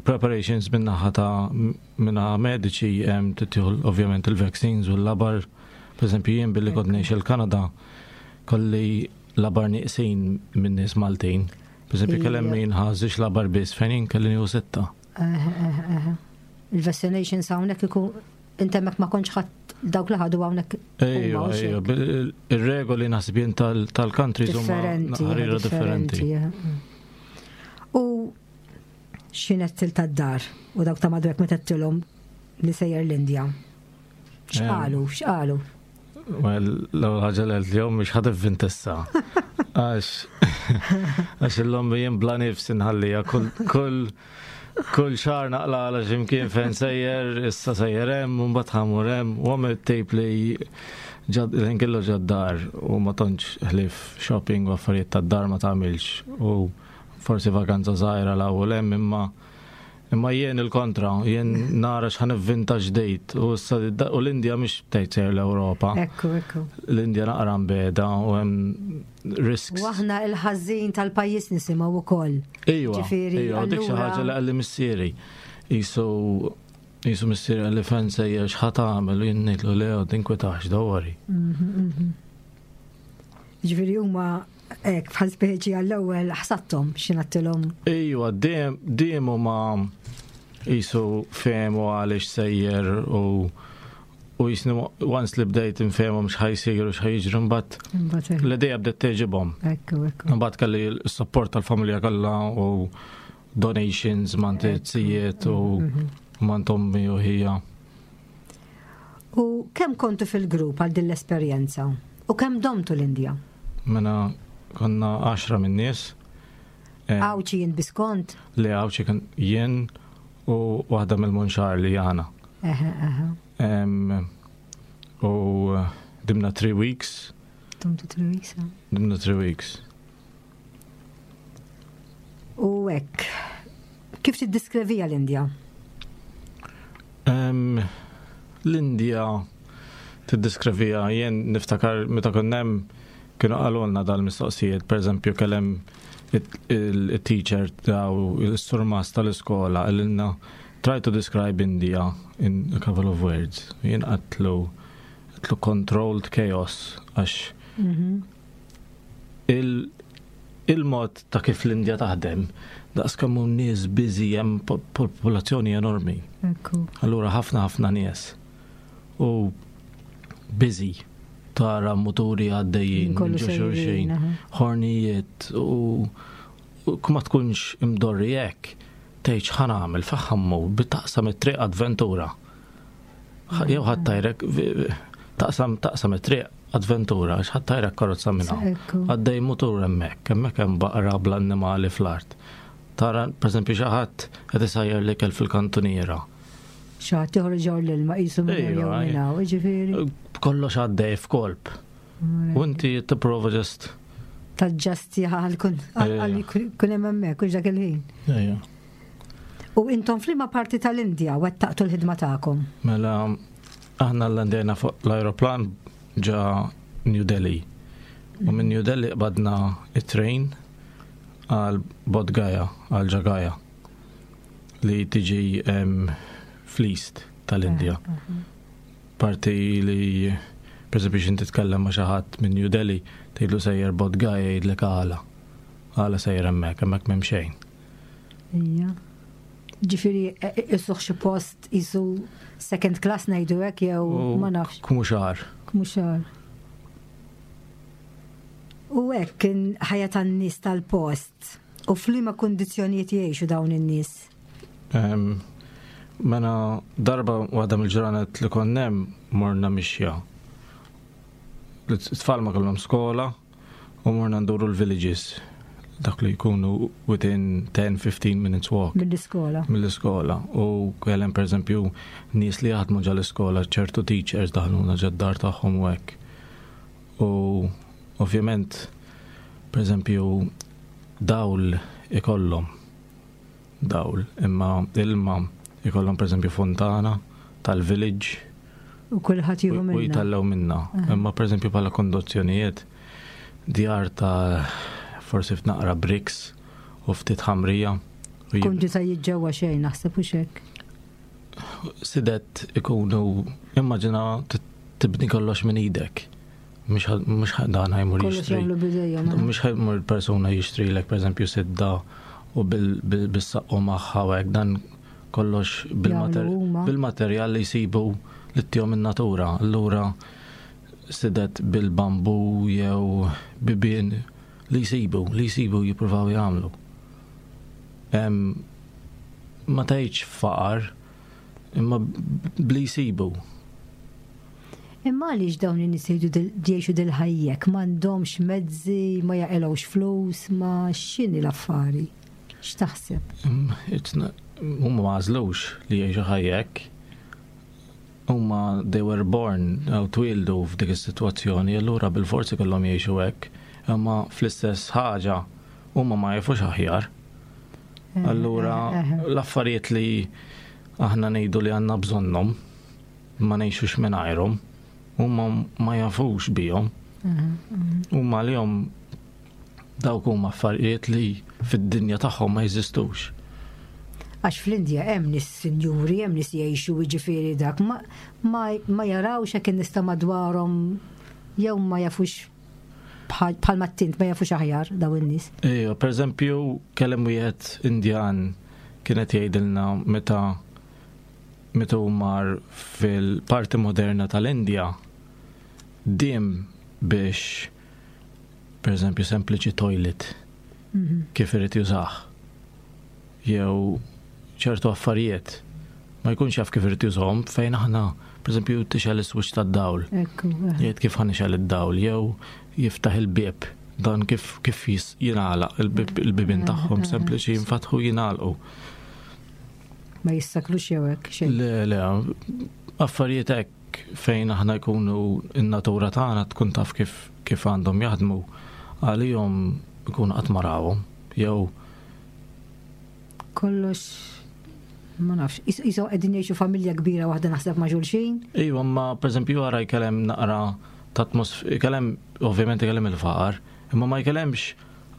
preparations min-naħa ta' minnaħa mediċi hemm titieħu ovvjament il-vaccines u l-labar. Per eżempju jien billi kont ngħix il-Kanada kolli labar nieqsin minn nies Maltin. Per eżempju kellem min ħażix labar biss fejn jien kelli nieħu sitta. Il-vaccinations hawnhekk ikun inti hemmhekk ma kontx ħadd dawk li ħadu hawnhekk. Ejja, ejja, ir-regoli naħseb jien tal-countries huma ħarira differenti. U x'inhet til tad-dar u dawk ta' madwek meta tilhom li sejjer l-Indja. X'qalu, x'qalu? Well, l-ewwel ħaġa li għedt jom mhux ħad ivvintessa. Għax għax illum jien bla nifs inħallija kull kull kull xahar naqla għala x'imkien fejn sejjer, issa sejjer hemm, u mbagħad ħamur hemm, u għamel tip li ġad kellu ġad-dar u ma tantx ħlief shopping u affarijiet tad-dar ma tagħmilx u forsi vakanza żgħira 'l hawn u 'l hemm imma imma jien il-kontra, jien nara x'ħa nivvinta ġdid u issa u l-Indja mhix tgħid sejjer l-Ewropa. Ekku, ekku. L-Indja naqra mbeda u hemm risks. U aħna il-ħażin tal-pajjiż nisimgħu wkoll. Ejwa, ejwa, dik xi ħaġa li qalli missieri. Jisu jisu missieri qalli fejn sejjer x'ħa tagħmel u jien ngħidlu le tinkwetax, don't worry. Ġifieri huma hekk bħal speċi għall-ewwel ħsattom x'ingħattilhom. Ejwa, dejjem dejjem huma jisu fehmu għaliex sejjer u u jisni once li bdejt infehmhom x'ħa jsir u x'ħa jiġri mbagħad l-idea bdiet tgħeġibhom. Ekku, ekku. Mbagħad kelli s-support tal-familja kollha u donations mant it-tzijiet u mhm. mant ommi u ħija. U kemm kontu fil-grupp għal din l-esperjenza? U kemm domtu l-Indja? Mela konna 10 minn nies. Eh, Għawċi jien biskont? Le għawċi kien jien u waħda mill-Munxar li jana. U eh, dimna 3 weeks. Domtu 3 weeks, eh? Dimna 3 weeks. U hekk, kif tiddiskrevija l-Indja? L-Indja tiddiskrivija jien niftakar meta konna hemm kienu qalulna dal-mistoqsijiet, pereżempju kellem il-teacher taw il-surmas tal-iskola qalilna try to describe India in a couple of words. Jien qatlu qatlu controlled chaos għax mhm. Il-mod ta' kif l-Indja taħdem, daqs kemm hu nies busy hemm popolazzjoni enormi. Allura ħafna ħafna nies. U busy tara muturi għaddejjin, xulxin, ħornijiet u ma tkunx imdorri hekk, tgħid x'ħa nagħmel faħħammu bitaqsam it-triq avventura. Jew ħadd tajrek taqsam taqsam it-triq avventura għax ħadd tajrek karozza minn hawn. Għaddej mutur hemmhekk, hemmhekk hemm baqra bl-annimali fl-art. Tara, pereżempju, xi ħadd qed isajjar l-ikel fil-kantuniera. Xi ħadd joħroġ l-ilma qisu minn jew minn hawn, jiġifieri. Kollox għaddej f'kolp. U inti tipprova ġest. Taġġasti għal kun hemm hemmhekk u dak il-ħin. Ejja. U intom f'liema parti tal-Indja wettaqtu l-ħidma tagħkom? Mela, aħna landejna fuq l-ajruplan ġa New Delhi. U minn New Delhi qbadna it-train għal Bodh Gaya, għal Jagaya, li tiġi fl-east tal-Indja. Eh, eh. Parti li, per esempio, x'inti titkellem ma' xi ħadd minn New Delhi, tgħidlu sejjer Bodh Gaya jgħidlek għala. Għala sejjer hemmhekk, hemmhekk m'hemm xejn. Ija. Ġifieri e, e, isuh xi post isu second class ngħidu hekk jew ma nafx. Kmuxar. Kmuxar. U hekk kien ħajja tan-nies tal-post u f'liema kundizzjonijiet jgħixu dawn in-nies? Mela darba waħda mill-ġranet li konnem morna mixja. L-tfal ma kellhom skola, U morna nduru l-villages, dak li jkunu within 10-15 minutes walk. Mill-iskola. Mill-iskola. U kellem per eżempju nies li jaħdmu ġa l-iskola, ċertu teachers daħluna ġa d-dar tagħhom u hekk. U ovvjament, per eżempju, dawl ikollhom dawl, imma ilma ikollhom pereżempju fontana tal-village. U kulħadd jieħu minnha. U jitgħallew minnha. Imma pereżempju bħala kondozzjonijiet djar ta' forsi f'naqra bricks u ftit ħamrija. Kunġu ta' jiġġewwa xejn naħseb u xek. Sidet ikunu immaġina tibni kollox minn idek. Mhux dan ħajmur jixtri. Mhux ħajmur persuna jixtrilek pereżempju sidda u bis-saqqu magħha u hekk dan kollox bil-materjal li jsibu li ttihom in-natura. Allura sidet bil-bambu jew bibien li jsibu, li jsibu jippruvaw jagħmlu. Ma tgħidx faqar, imma bli jsibu. Imma għaliex dawn in-nies jgħixu dil-ħajja hekk? M'għandhomx mezzi, ma jaqilgħux flus, ma x'inhi l-affari? X'taħseb? Huma ma għażlux li jgħixu ħajja hekk. Huma they were born jew twieldu f'dik is-sitwazzjoni, allura bilfors ikollhom jgħixu hekk. Imma fl-istess ħaġa huma ma jafux aħjar. Eh, allura eh, eh. l-affarijiet li aħna ngħidu li għandna bżonnhom ma ngħixux mingħajrhom, huma ma jafux bihom. Huma għalihom dawk huma affarijiet li fid-dinja tagħhom ma jeżistux. Għax fl-Indja hemm nies sinjuri, hemm nies jgħixu jiġifieri dak ma, ma, ma jarawx hekk in-nies ta' madwarhom jew ma jafux bħal ma tint ma jafux aħjar daw in-nies. Ejja, per eżempju, kellem wieħed Indjan kienet jgħidilna meta meta hu mar fil-parti moderna tal-Indja diem biex per eżempju sempliċi toilet mhm. kif irid jużah jew ċertu affarijiet ma jkunx jaf kif irid jużahom fejn aħna per eżempju tixgħel is-switch tad-dawl. Eh. Jgħid kif ħanixgħel id-dawl jew jiftaħ il-bieb dan kif kif jingħalaq il-bibien eh, tagħhom eh, sempliċi jinfatħu jingħalqu. Ma jissaklux jew hekk xejn. Le, le, affarijiet hekk fejn aħna jkunu in-natura tagħna tkun taf kif kif għandhom jaħdmu għalihom ikunu qatt ma rawhom jew kollox. Ma nafx, iso qegħdin jgħixu familja kbira waħda naħseb ma' xulxin. Iva, ma pereżempju għara jkellem naqra ta' atmosfera, jkellem ovvjament jkellem il-faqar, imma ma jkellemx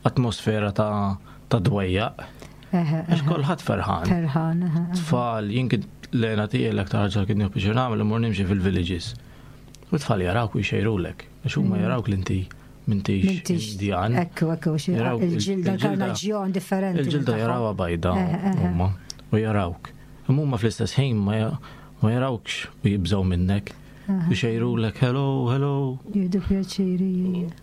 atmosfera ta' ta' dwejjaq. Għax kulħadd ferħan. Ferħan. Tfal, jien kien l-għena tiegħi l-aktar ħaġa kien nieħu biex nagħmel imur nimxi fil-villages. U tfal jarawk u jxejrulek. Għax huma mm. jarawk l-inti mintix Indjan. Ekku, ekku, il-ġilda karnaġjon differenti. Il-ġilda jarawha bajda huma u jarawk. Imma huma fl-istess ħin ma jarawkx u jibżgħu minnek. U xejrulek hello, hello. Jieħdu pjaċiri.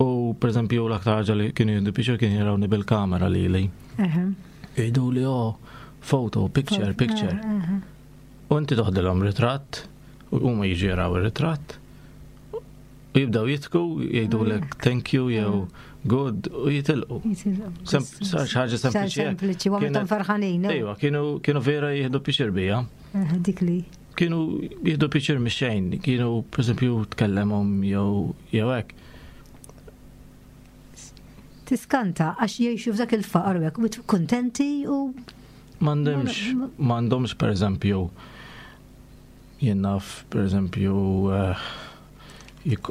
U per eżempju l-aktar ħaġa li kienu jieħdu pjaċir kien jarawni bil-kamera lili. Jgħidu li oh, photo, picture, picture. U inti toħdilhom ritratt, u huma jiġu jaraw ir-ritratt, u jibdaw jitku, jgħidulek mm. thank you jew mm. good u jitilqu. Sar ħaġa sempliċi. Sempliċi, u għamiltom ferħanin. Ejwa, kienu vera jieħdu pixir bija. Eh, dik li. Kienu jieħdu pixir mix-xejn, kienu per esempio tkellemhom jew jew hekk. Tiskanta għax jgħixu f'dak il-faqar u hekk kuntenti u M'għandhomx, m'għandhomx per eżempju Jien naf, pereżempju, eh,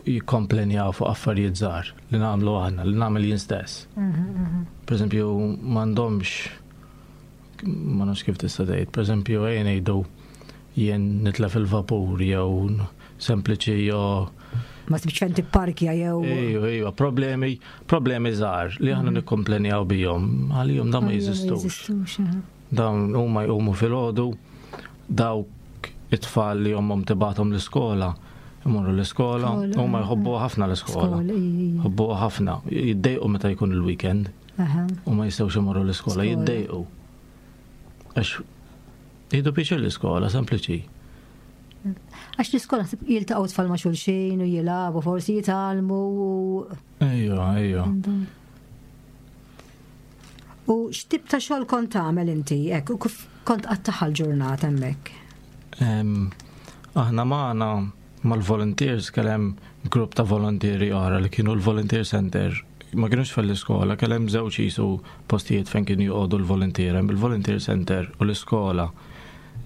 jikkomplenjaw fuq affarijiet żgħar li nagħmlu aħna, li nagħmel jien stess. Pereżempju, m'għandhomx ma nafx kif tista' tgħid, pereżempju ejja ngħidu jien nitlef il-vapur jew sempliċi jew ma sibx fejn tipparkja jew. Ejju, ejju, problemi, problemi żgħar li aħna mhm. nikkomplenjaw bihom, għalihom dan ma jeżistux. Dawn huma jqumu filgħodu, dawk it-tfal li ommhom tibgħathom l-iskola, imorru l-iskola, huma jħobbu ħafna l-iskola. Jħobbu ħafna, jiddejqu meta jkun il-weekend. U ma jistgħux imorru l-iskola, jiddejqu. Għax jieħdu pjaċir l-iskola, sempliċi. Għax l-iskola jiltaqgħu tfal ma' xulxin u jilagħbu, forsi jitgħallmu. Ejja, ejja. U x'tip ta' xogħol kont tagħmel inti hekk u kif kont qattaħa l-ġurnata hemmhekk? Aħna magħna mal-volunteers kellem grupp ta' volontieri oħra li kienu l-Volunteer Center. Ma kienux fl-iskola, kellem żewġ jisu postijiet fejn kienu joqogħdu l-volunteer, hemm il-Volunteer Center u l-iskola.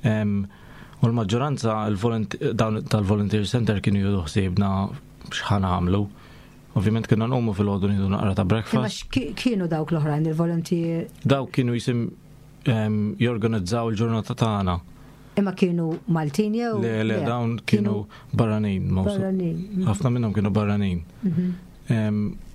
U l-maġġoranza tal-Volunteer Center kienu jieħdu ħsiebna x'ħa nagħmlu. Ovvjament kienna nqumu fil-ħodu nieħdu naqra ta' breakfast. Imma kienu dawk l-oħrajn il-volunteer? Dawk kienu jisim jorganizzaw il-ġurnata tagħna. Imma kienu Maltin jew? Le, le, dawn kienu barranin. Barranin. Ħafna minnhom kienu barranin. Mhm.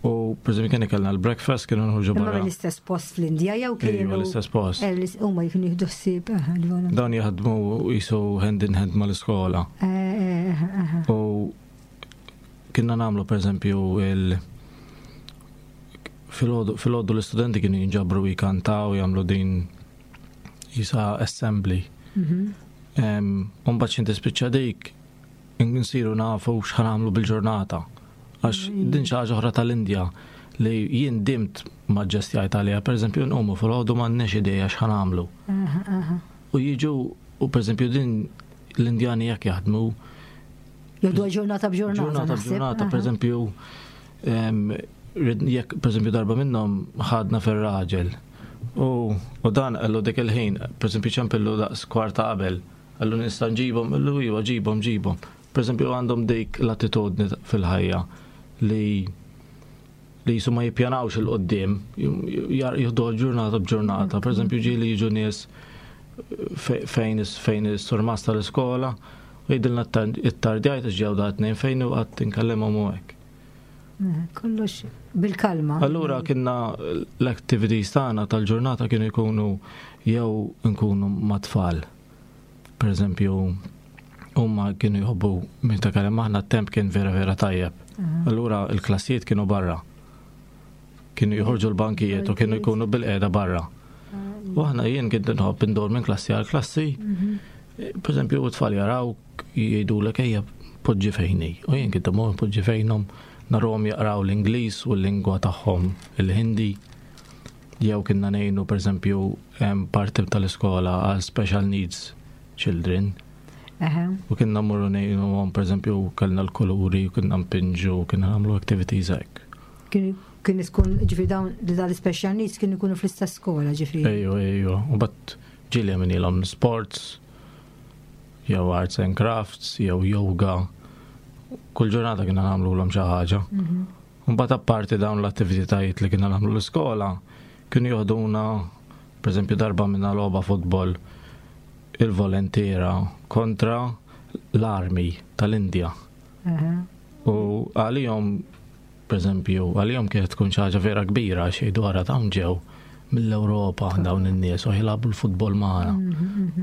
U per eżempju kien kellna l-breakfast kienu nħorġu barra. Imma l-istess post fl-Indja jew kienu? Iva, l-istess post. Eh, huma jkunu jieħdu ħsieb. Eh, dawn jaħdmu jisu hand in hand mal-iskola. Eh, U Kienna nagħmlu pereżempju il filgħodu l-istudenti kienu jinġabru jkantaw jagħmlu din jisa assembly. Mhm. Umbagħad xi tispiċċa dik nsiru nafu x'ħan nagħmlu bil-ġurnata. Għax mm. din xi ħaġa oħra tal-Indja li jien dimt ma ġestjajt għaliha, pereżempju nqumu filgħodu m'għandniex idea x'ħan nagħmlu. U jiġu u pereżempju din l-Indjani jekk jaħdmu Jgħidu ġurnata b'ġurnata. Ġurnata b'ġurnata, per eżempju, jekk per eżempju darba minnhom ħadna fir-raġel. U dan qallu dik il-ħin, per eżempju ċempillu daqs kwarta qabel, qallu nista' nġibhom, qallu iva ġibhom ġibhom. Per eżempju għandhom dik l-attitudni fil-ħajja li li jisu ma jippjanawx il-qoddim, jieħdu ġurnata b'ġurnata. Per eżempju, ġieli jiġu nies fejn fejn is-surmas tal-iskola u jgħidilna it-tardjajt għax ġew da tnejn fejn u qatt inkellimhom u hekk. Eh, kollox bil-kalma. Allura kienna l-activities tagħna tal-ġurnata kienu jkunu jew nkunu mat-tfal. Per eżempju, huma kienu jħobbu meta kellem aħna t-temp kien vera vera tajjeb. Allura il-klassijiet kienu barra. Kienu joħorġu l-bankijiet u kienu jkunu bil-qeda barra. U aħna jien kien nħobb indur minn klassi għal klassi. Mhm. Per eżempju, u tfal jaraw jgħidulek ejja poġġi fejni. U jien kien imur poġġi fejnhom narhom jaqraw l-Ingliż u l-lingwa tagħhom il-Hindi. Jew kienna ngħinu per eżempju parti tal-iskola għal special needs children. U kienna mmorru ngħinu għom per eżempju kellna l-kuluri, kienna npinġu, kienna nagħmlu activities hekk. Kien tkun ġifieri dawn li dal special needs kienu jkunu fl-istess skola ġifieri. Ejju, ejju. U bat Ġieli għamilnielhom sports, jew arts and crafts, jew yoga. Kull ġurnata kienna nagħmlulhom xi ħaġa. Mbagħad apparti dawn l-attivitajiet li kienna nagħmlu l-iskola, kienu joħduna, pereżempju darba minna logħba futbol il-volontiera kontra l-army tal-Indja. U għalihom, pereżempju, għalihom kienet tkun xi ħaġa vera kbira għax jgħidu ara dawn ġew mill-Ewropa dawn in-nies u jilagħbu l-futbol magħna.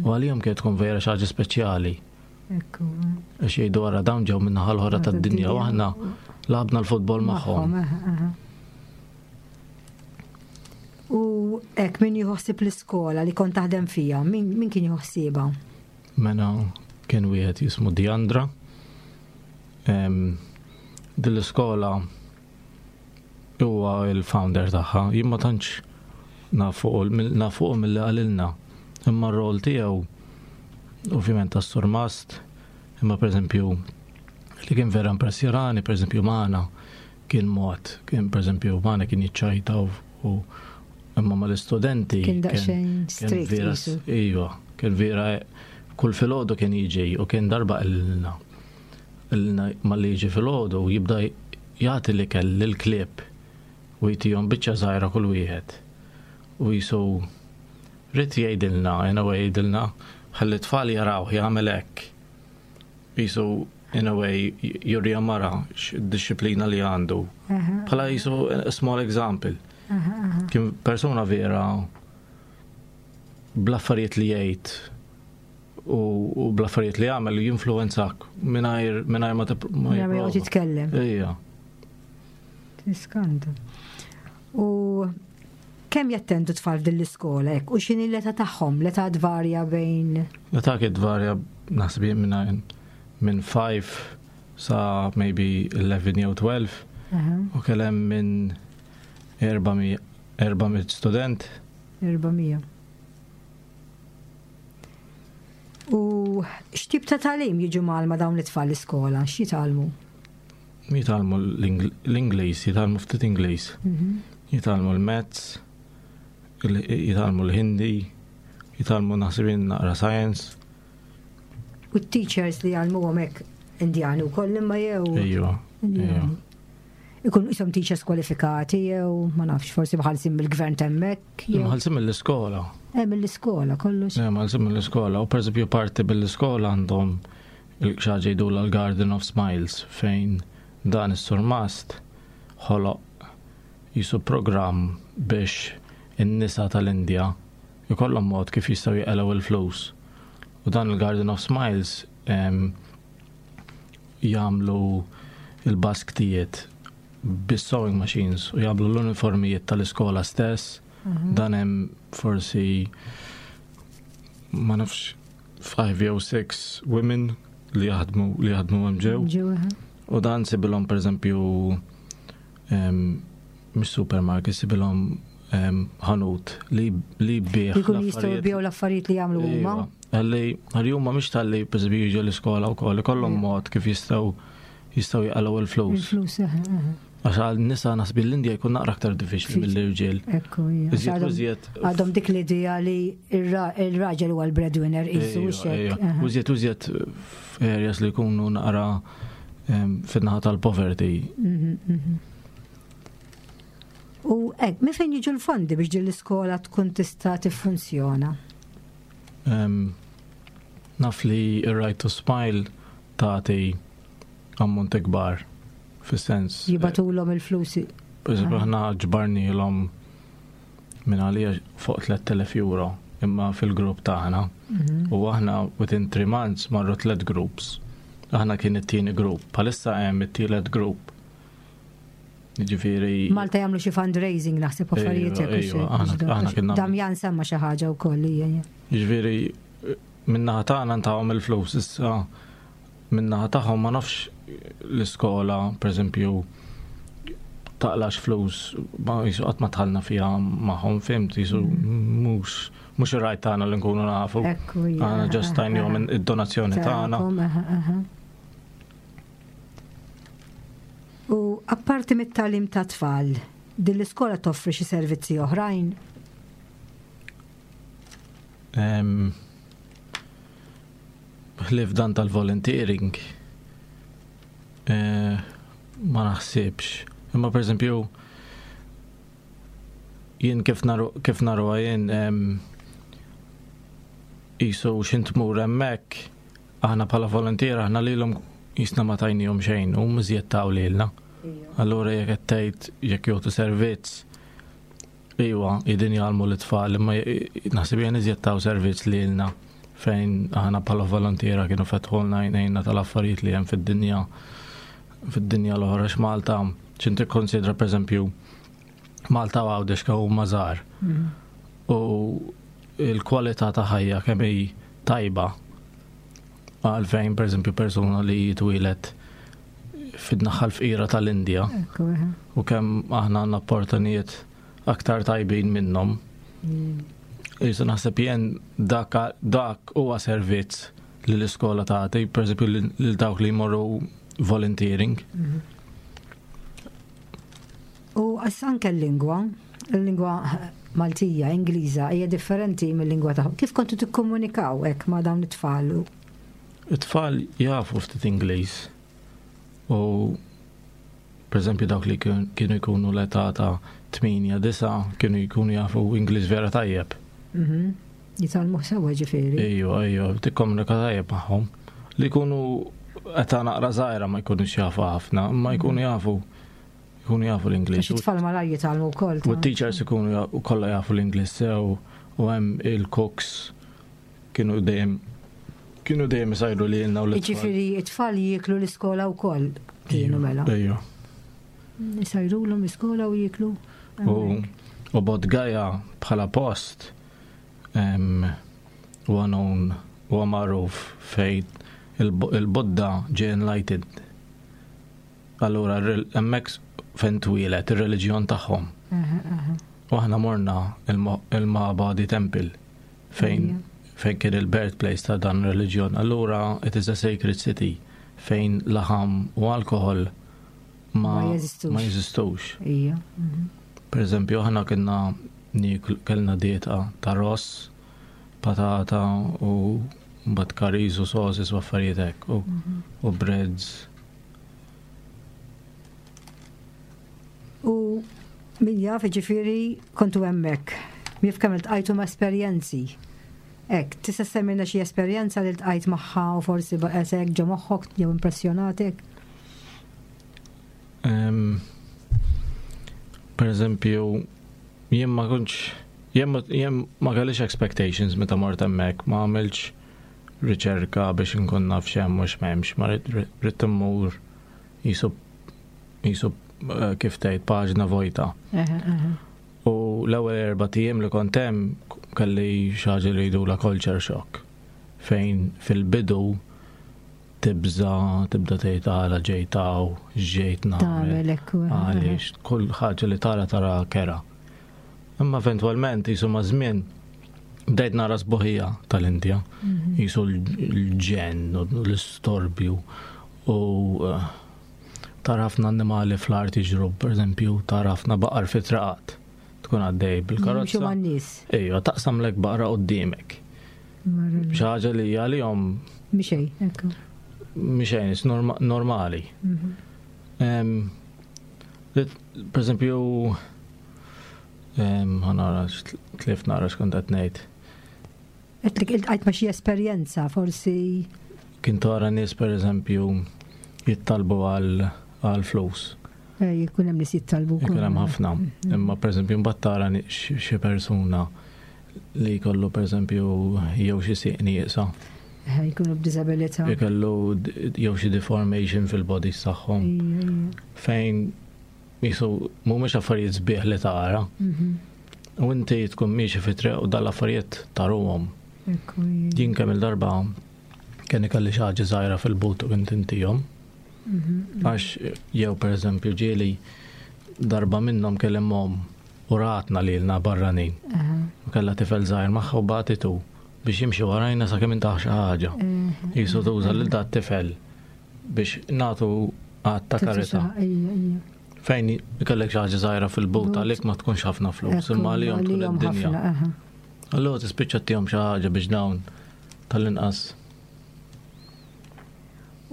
U għalihom kienet tkun vera xi ħaġa speċjali. Għax jgħidu ara dawn ġew min-naħa l-oħra tad-dinja u aħna lagħabna l-futbol magħhom. U hekk min jħossib l-iskola li kont taħdem fija, min kien jħossibha? Mela kien wieħed jismu Diandra. Din l-iskola huwa il-founder tagħha. Jien ma tantx nafuq milli qalilna. Imma r-rol tiegħu ovvjament tas-surmast, imma pereżempju li kien vera impressjonani, pereżempju magħna kien mod, kien pereżempju magħna kien jiċċajta u imma mal-istudenti. Kien daqsxejn strict. Iva, kien vera kull filgħodu kien jiġi u kien darba qalilna. Qalilna malli jiġi filgħodu jibda jagħti l-ikel lill-klieb u jtihom biċċa żgħira kull wieħed. U jisu ried jgħidilna, in a way jgħidilna, ħalli t-tfal jarawh jagħmel hekk. Jisu in a way jurihom mara x-dixxiplina li għandu. Bħala jisu a small example. Kien persuna vera bl-affarijiet li jgħid u bl-affarijiet li jagħmel jinfluwenzak mingħajr mingħajr ma ma joqgħod jitkellem. Ejja. Tiskanta. U kemm jattendu tfal f'din l-iskola hekk u x'inhi l-età tagħhom? L-età tvarja bejn L-età kien tvarja naħseb jien minn minn 5 sa maybe 11 jew 12 u kell hemm minn 400 400 student. 400. U x'tip ta' tagħlim jiġu mgħallma dawn it-tfal l-iskola? X'jitgħallmu? Jitgħallmu l-Ingliż, jitgħallmu ftit Ingliż. Mhm. Jitgħallmu l-Maths, jitgħallmu l-Hindi, jitgħallmu naħseb jien naqra science. U t-teachers li jgħallmuhom hekk Indjani wkoll imma jew? Ejwa. Ikun isom teachers kwalifikati jew ma nafx forsi mħallsin mill-gvern t'hemmhekk. Mħallsin mill-iskola. Eh mill-iskola kollox. Eh mħallsin mill-iskola u pereżempju parti mill-iskola għandhom xi jgħidulha l-Garden of Smiles fejn dan is-surmast ħoloq jisu programm biex in-nisa tal-Indja jkollhom mod kif jistgħu jqelgħu il-flus. U dan il-Garden of Smiles jagħmlu il-basktijiet bis-sewing machines u jagħmlu l-uniformijiet tal-iskola stess. Mhm. Dan hemm forsi ma nafx 5 jew 6 women li jaħdmu li jaħdmu hemm ġew. U dan sibilhom pereżempju mhux supermarket, sibilhom ħanut li li bieħ. Jkunu jistgħu jbigħu l-affarijiet li jagħmlu huma. Għalli għalli huma mhix talli pereżempju jiġu l-iskola wkoll ikollhom mod kif jistgħu jistgħu jaqalgħu il-flus. Il-flus, Għax għal nisa naħseb l-Indja jkun naqra aktar diffiċli mill-irġiel. Ekku, Għadhom dik l-idea li il-raġel huwa l-breadwinner isu xek. Użjed użjed f'areas li jkunu naqra fin-naħa tal-poverty. Mhm, mhm. U hekk, minn fejn jiġu l-fondi biex din l-iskola tkun tista' tiffunzjona? Naf li r-Right to Smile tagħti ammonti kbar fis-sens. Jibatulhom il-flus. Per aħna ġbarnielhom minn għalija fuq 3000 euro imma fil-grupp tagħna. Mhm. U aħna within 3 months marru tliet groups. Aħna kien it-tieni grupp, bħalissa hemm it-tielet grupp. Ġifieri. Malta jagħmlu xi fundraising naħseb affarijiet hekk. Damjan semma xi ħaġa wkoll hija. Ġifieri min-naħa tagħna ntawhom il-flus issa min-naħa tagħhom ma nafx l-iskola pereżempju taqlax flus ma jisu qatt ma tħallna fiha magħhom fimt jisu mhux mhux ir-rajt tagħna li nkunu nafu. Aħna ġast tajnihom id-donazzjoni tagħna. U apparti mit-tagħlim ta' tfal, din l-iskola toffri xi servizzi oħrajn? Ħlief dan tal-volunteering, eh, ma naħsibx. Imma per eżempju, jien kif naru kif naruha jien qisu x'int tmur hemmhekk aħna bħala voluntier aħna lilhom jisna ma tajnihom xejn u iżjed taw lilna. Allura jekk qed tgħid jekk jagħtu servizz Iwa, qegħdin jgħallmu lit-tfal, imma naħseb jien iżjed taw servizz lilna fejn aħna bħala volontiera kienu fetħulna għajnejna tal-affarijiet li hemm fid-dinja fid-dinja l-oħra x'Malta x'int tikkonsidra pereżempju Malta u Għawdex kemm huma żgħar. Mm. U l-kwalità ta' ħajja kemm hi tajba għalfejn pereżempju persuna li jitwieled fid-naħa l-fqira tal-Indja u kemm aħna għandna opportunijiet aktar tajbin minnhom. Mm. Jisu naħseb jien dak, dak huwa servizz li l-iskola tagħti, pereżempju lil dawk li jmorru volunteering. Mm-hmm. U anke l-lingwa, il-lingwa Maltija, Ingliża, hija differenti mill-lingwa tagħhom. Kif kontu tikkomunikaw hekk ma' dawn it-tfal? It-tfal jafu ftit Ingliż u pereżempju dawk li kienu jkunu l-età ta' 8 9 kienu jkunu jafu Ingliż vera tajjeb. Mhm. Jitgħallmuh sewwa ġifieri. Ejju, ejju, tikkomunika tajjeb magħhom. Li jkunu età naqra żgħira ma jkunux jafu ħafna, imma jkunu mhm. jafu jkunu jafu l-Ingliż. Għax it-tfal malajr jitgħallmu wkoll. U t-teachers ikunu kollha jafu l-Ingliż sew u hemm il-cooks Kienu dejjem kienu dejjem isajru li lilna u l Ġifieri it-tfal jieklu l-iskola wkoll kienu mela. Ejju. Isajrulhom l-iskola u jieklu. U u Bodh Gaya bħala post huwa known huwa magħruf fejn il-Buddha ġie enlightened. Allura hemmhekk fejn twieled ir-reliġjon tagħhom. U aħna morna il-Mahabodhi Temple fejn fejn kien il-birthplace ta' dan reliġjon. Allura it is a sacred city fejn laħam u alkohol ma ma jeżistux. Ija. Mhm. Per eżempju, aħna kienna kellna dieta ta' ross, patata u mbagħad curries u sauces u affarijiet hekk u, mhm. u breads. U min jaf ġifieri kontu hemmhekk. Min jaf kemm iltqajtu ma' esperjenzi. Hekk, tista' semmilna xi esperjenza li ltqajt magħha u forsi baqgħet hekk ġo moħħok jew impressjonatek? Per eżempju, jien ma kontx jien ma kellix expectations meta mort hemmhekk, ma għamiltx riċerka biex inkun naf x'hemm u x'm'hemmx, ma ridt immur jisu jisu eh, kif tgħid paġna vojta. U l-ewwel erba' ijiem li kont hemm kelli xi ħaġa li jgħidulha culture shock fejn fil-bidu tibża tibda tgħid għala ġejt hawn, x'ġejt nagħmel. Għaliex kull ħaġa li tara tara kera. Imma eventwalment jisu ma' żmien bdejt nara sbuħija tal-Indja, mhm. jisu l-ġen u l-istorbju u eh, tara ħafna annimali fl-art jiġru, per eżempju, tara ħafna baqar fi traqat. Tkun għaddej bil-karozza. Ejja, taqsam lek baqra qudiemek. Xi ħaġa li għalihom. Mixej, ekku. Mixejn, normali. Mhm. Per eżempju, ħanara, tlift nara x'kont qed ngħid. Għedtlek iltqajt ma' xi esperjenza forsi. Kien tara nies pereżempju jittalbu għal flus. Eh, jkun hemm nies jittalbu. Jkun hemm ħafna. Mm. Imma pereżempju mbagħad tara xi persuna li jkollu pereżempju jew xi sieq nieqsa. Eh, jkunu b'diżabilità. Jkollu jew xi deformation fil-bodies tagħhom. Fejn Jisu, mhumiex affarijiet sbieħ li tara. Mhm. U inti tkun miexi fi triq u dal-affarijiet taruhom. Jien kemm il-darba kien ikelli xi ħaġa żgħira fil-but u kien tintihom. Mhm. Għax jew pereżempju ġieli darba minnhom kellem mom u ratna lilna barranin. U kellha tifel żgħir magħha u bagħtitu biex jimxi warajna sakemm intaħ xi ħaġa. Jisu tuża lil dat tifel biex nagħtu għad ta' karità. Fejn ikellek xi ħaġa żgħira fil-but għalik ma tkunx ħafna flus, imma għalihom tkun id-dinja. Allura tispiċċa ttihom xi ħaġa biex dawn tal-inqas.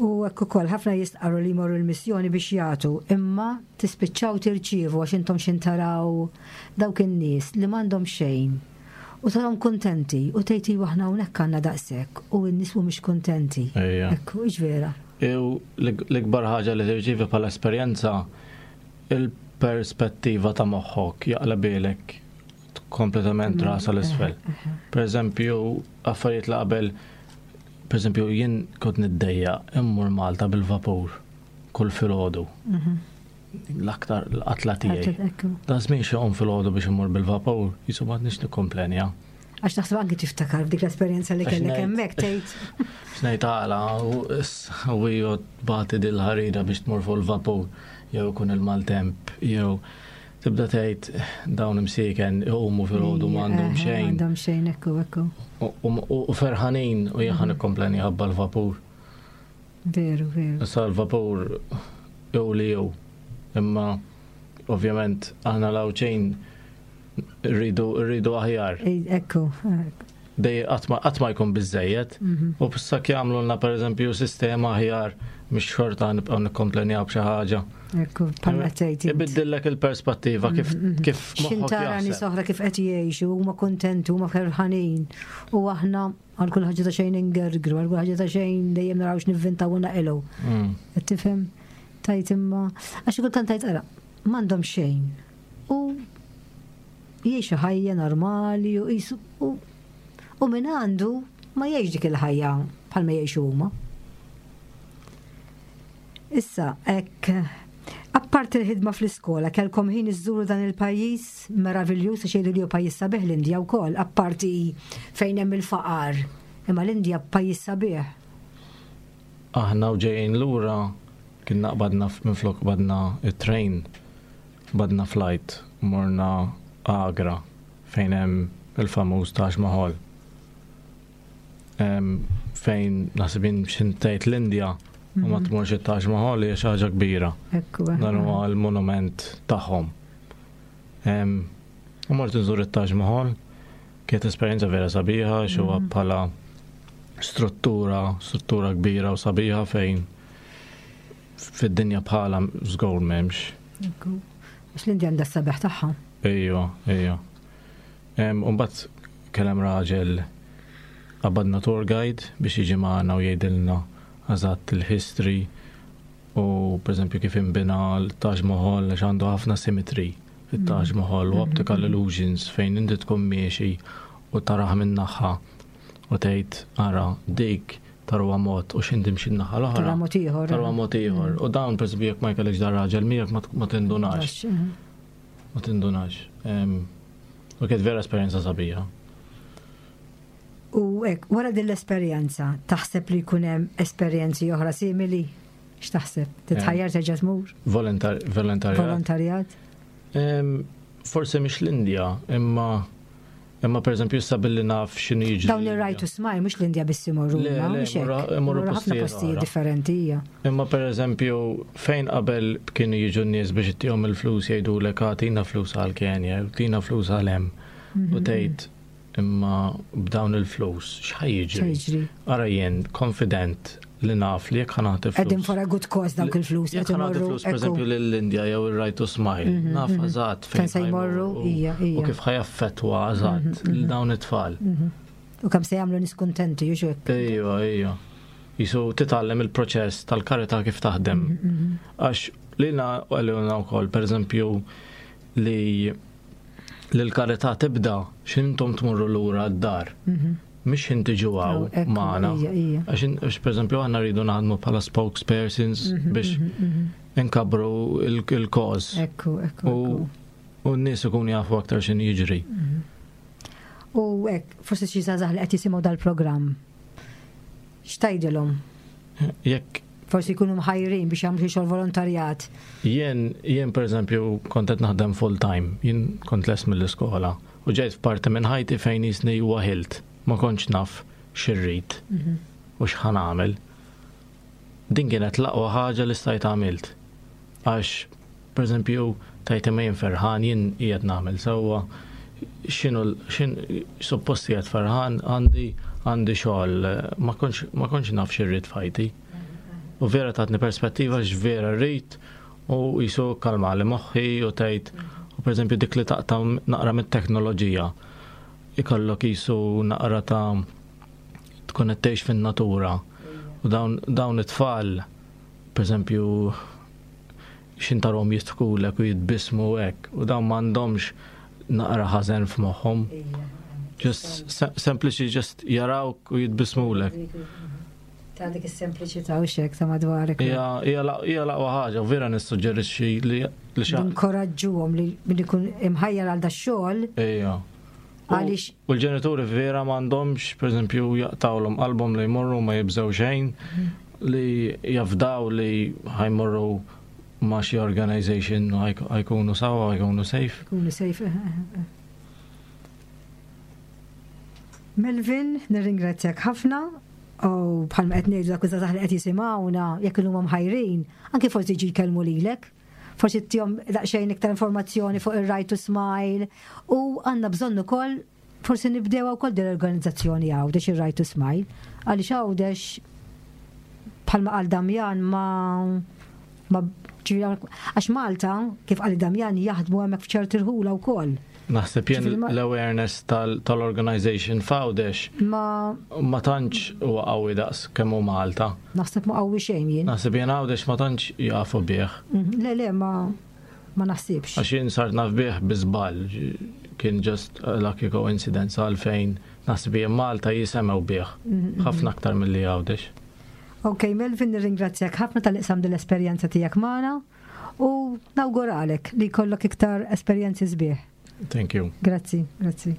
U hekk ukoll ħafna jistqarru li jmorru l-missjoni biex jagħtu, imma tispiċċaw tirċievu għax intom x'in taraw dawk in-nies li m'għandhom xejn u tarahom kuntenti u tgħid iva aħna hawnhekk għandna daqshekk u n-nies mhumiex kuntenti. Ejja. Hekk hux vera. U l-ikbar ħaġa li tirċievi bħala esperjenza il-perspettiva ta' moħħok jaqlabilek kompletament rasa l-isfel. Per eżempju, affarijiet li qabel, per eżempju, jien kont niddejja immur Malta bil-vapur kull filgħodu. L-aktar l-qatla tiegħi. Dan żmien xi qum filgħodu biex immur bil-vapur, jisu ma nix nikkomplenja. Għax naħseb anki tiftakar f'dik l-esperjenza li kellek hemmhekk tgħid. X'ngħid għala u iju tbati dil-ħarira biex tmur fuq il-vapur jew ikun il-maltemp jew tibda tgħid dawn imsieken iqumu filgħodu m'għandhom xejn. M'għandhom xejn ekku ekku. U ferħanin u jien ħa nikkompleni ħabba l-vapur. Veru, veru. Issa l-vapur jew li jew. Imma ovvjament aħna l-Għawdxin rridu rridu aħjar. Ekku. Dej qatt ma jkun biżejjed. Mhm. U b'sak jagħmlulna pereżempju sistema aħjar mhix xorta nibqgħu nikkomplenjaw b'xi ħaġa. Ekku, bħalma tgħid. Ibiddillek il-perspettiva kif mhm, mhm. kif X'intara nies oħra kif qed jgħixu, huma kuntenti, huma ferħanin. U aħna Għal kull ħaġa ta' xejn ingergru, għal kull ħaġa ta' xejn dejjem naraw x'nivvintaw u naqilgħu. Mm. Qed tifhem? Tajt imma għax kultant tajt ara, m'għandhom xejn. U jgħixu ħajja normali u jisu u u min għandu ma jgħix dik il-ħajja bħalma jgħixu huma. Issa, hekk apparti l-ħidma fl-iskola, kellkom ħin iżżuru dan il-pajjiż meraviljuż għax jgħidu li hu pajjiż sabiħ l-Indja wkoll, apparti fejn hemm il-faqar. Imma l-Indja pajjiż sabiħ. Aħna u ġejjin lura kienna qbadna minflok qbadna it-train, qbadna flight, morna Agra fejn hemm il-famuż Taj Mahal. Fejn naħseb jien x'int tgħid l-Indja u ma mhm. tmurx it-Taj Mahal hija xi ħaġa kbira. Dan huwa l-monument tagħhom. U mort nżur it-Taj Mahal, kienet esperjenza vera sabiħa, xuwa mhm. bħala struttura, struttura kbira u sabiħa fejn fid-dinja bħala żgur m'hemmx. Għax l-Indja għandha s-sabiħ tagħha. Ejja, ejja. Umbat kellem raġel qabadna tour guide biex jiġi magħna u jgħidilna eżatt il-history u pereżempju kif inbina l-Taj Mahal għax għandu ħafna symmetry it-Taj mm. Mahal u mm-hmm. optical illusions fejn inti tkun miexi u taraħ minn naħa u tgħid ara dik tarwa mod u x'inti mxi naħa l-oħra. Tarwa mod ieħor. Tarwa mod ieħor. Mm. U dawn pereżempju jekk ma jkollekx dar raġel miegħek ma tindunax. Mm. Ma tindunax. U kienet vera esperjenza sabiħa. U hekk, wara din l-esperjenza, taħseb li jkun hemm esperjenzi oħra simili? X'taħseb? Titħajjar terġa' tmur? Volontarjat. Volontarjat? Forsi mhix l-Indja, imma Imma per eżempju issa billi naf x'inhu jiġri. Dawn ir-right to smile mhux l-Indja biss imorru, mhux hekk. Imorru ħafna postijiet differenti hija. Imma per eżempju fejn qabel kienu jiġu n-nies biex ittihom il-flus jgħidulek agħtina flus għal Kenja, jew tina flus għal hemm. U mhm. tgħid imma b'dawn il-flus x'ħa jiġri? Ara jien konfident li naf li jekk ħa nagħti flus. Qegħdin for a good cause dawk il-flus. Jekk ħa nagħti flus pereżempju lill-Indja jew ir-Right to Smile, mhm, naf mhm. eżatt fejn se jmorru, hija, hija. U kif ħa jaffettwa eżatt mhm, lil dawn it-tfal. U kemm se jagħmlu nies kuntenti, jux hekk. Ejwa, ejwa. Jisu titgħallem il-proċess tal-karità kif taħdem. Għax lilna għalilna wkoll, pereżempju, li l-karità tibda x'intom tmorru lura d-dar. Mhix ħin tiġu hawn magħna. Għax pereżempju aħna rridu naħdmu bħala spokespersons mhm, biex mhm, mhm. inkabru il-koż. Ekku, ekku. U n-nies ikunu jafu aktar x'in jiġri. U hekk, forsi xi żgħażagħ li qed jisimgħu dal-programm. X'tgħidilhom? Jekk forsi jkunu mħajrin biex jagħmlu xi xogħol volontarjat. Jien jien pereżempju kont qed naħdem full time, jien kont lest mill-iskola u ġejt f'parti minn ħajti fejn jisni waħilt, ma kontx naf x'irrid mhm. u x'ħa nagħmel. Din kienet l-aqwa ħaġa li stajt għamilt. Għax, pereżempju, tajt imma jien ferħan, jien qiegħed nagħmel sewwa. x'inhu x'in suppost qiegħed ferħan għandi għandi xogħol ma kontx ma kontx naf xi rrid f'ħajti. U vera tatni perspettiva x'vera rrid u jisu kalmali moħħi u tgħid u pereżempju dik li taqta' naqra mit-teknoloġija ikollok jisu naqra ta' tkun qed tgħix fin-natura. U dawn dawn it-tfal pereżempju x'intarhom jidħkulek u jitbissmu hekk u dawn m'għandhomx naqra ħażen f'moħħhom. Just sempliċi just jarawk u jitbissmulek. Ta' dik is-sempliċità u xek ta' madwarek. Hija l-aqwa ħaġa, vera nissuġġerixxi li li xi Inkoraġġuhom li min ikun imħajjar għal dax-xogħol. Ejja. Għaliex. U l-ġenituri vera m'għandhomx, pereżempju, jaqtawlhom qalbhom li jmorru ma jibżgħu xejn, li jafdaw li ħajmorru ma' xi organization ħajkunu sawa, ħajkunu safe. Jkunu safe. Eh, eh, eh. Melvin, nirringrazzjak ħafna u bħalma qed ngħidu dak iż-żgħażagħ li qed jisimgħuna jekk huma mħajrin, anke forsi jiġi jkellmu lilek. Forsi tihom daqsxejn iktar informazzjoni fuq ir-Right to Smile u għandna bżonn ukoll forsi nibdew wkoll din l-organizzazzjoni Għawdex ir-Right to Smile għaliex Għawdex bħalma qal Damjan ma ma għax Malta kif qal Damjan jaħdmu hemmhekk f'ċerti rħula wkoll. Naħseb jien l-awareness tal-organization f'Għawdex ma ma tantx huwa qawwi daqs kemm hu Malta. Naħseb ma qawwi xejn jien. Naħseb jien Għawdex ma tantx jafu bih. Mhm, le le ma ma naħsibx. Għax jien sart naf bih bi żball, kien just a lucky coincidence għalfejn naħseb jien Malta jisemgħu bih mhm, mhm. ħafna aktar milli Għawdex. Ok, Melvin, nirringrazzjak ħafna tal-iqsam dil-esperjenza tiegħek magħna. U nawguralek li jkollok iktar esperjenzi sbieħ. Thank you. Grazzi, grazzi.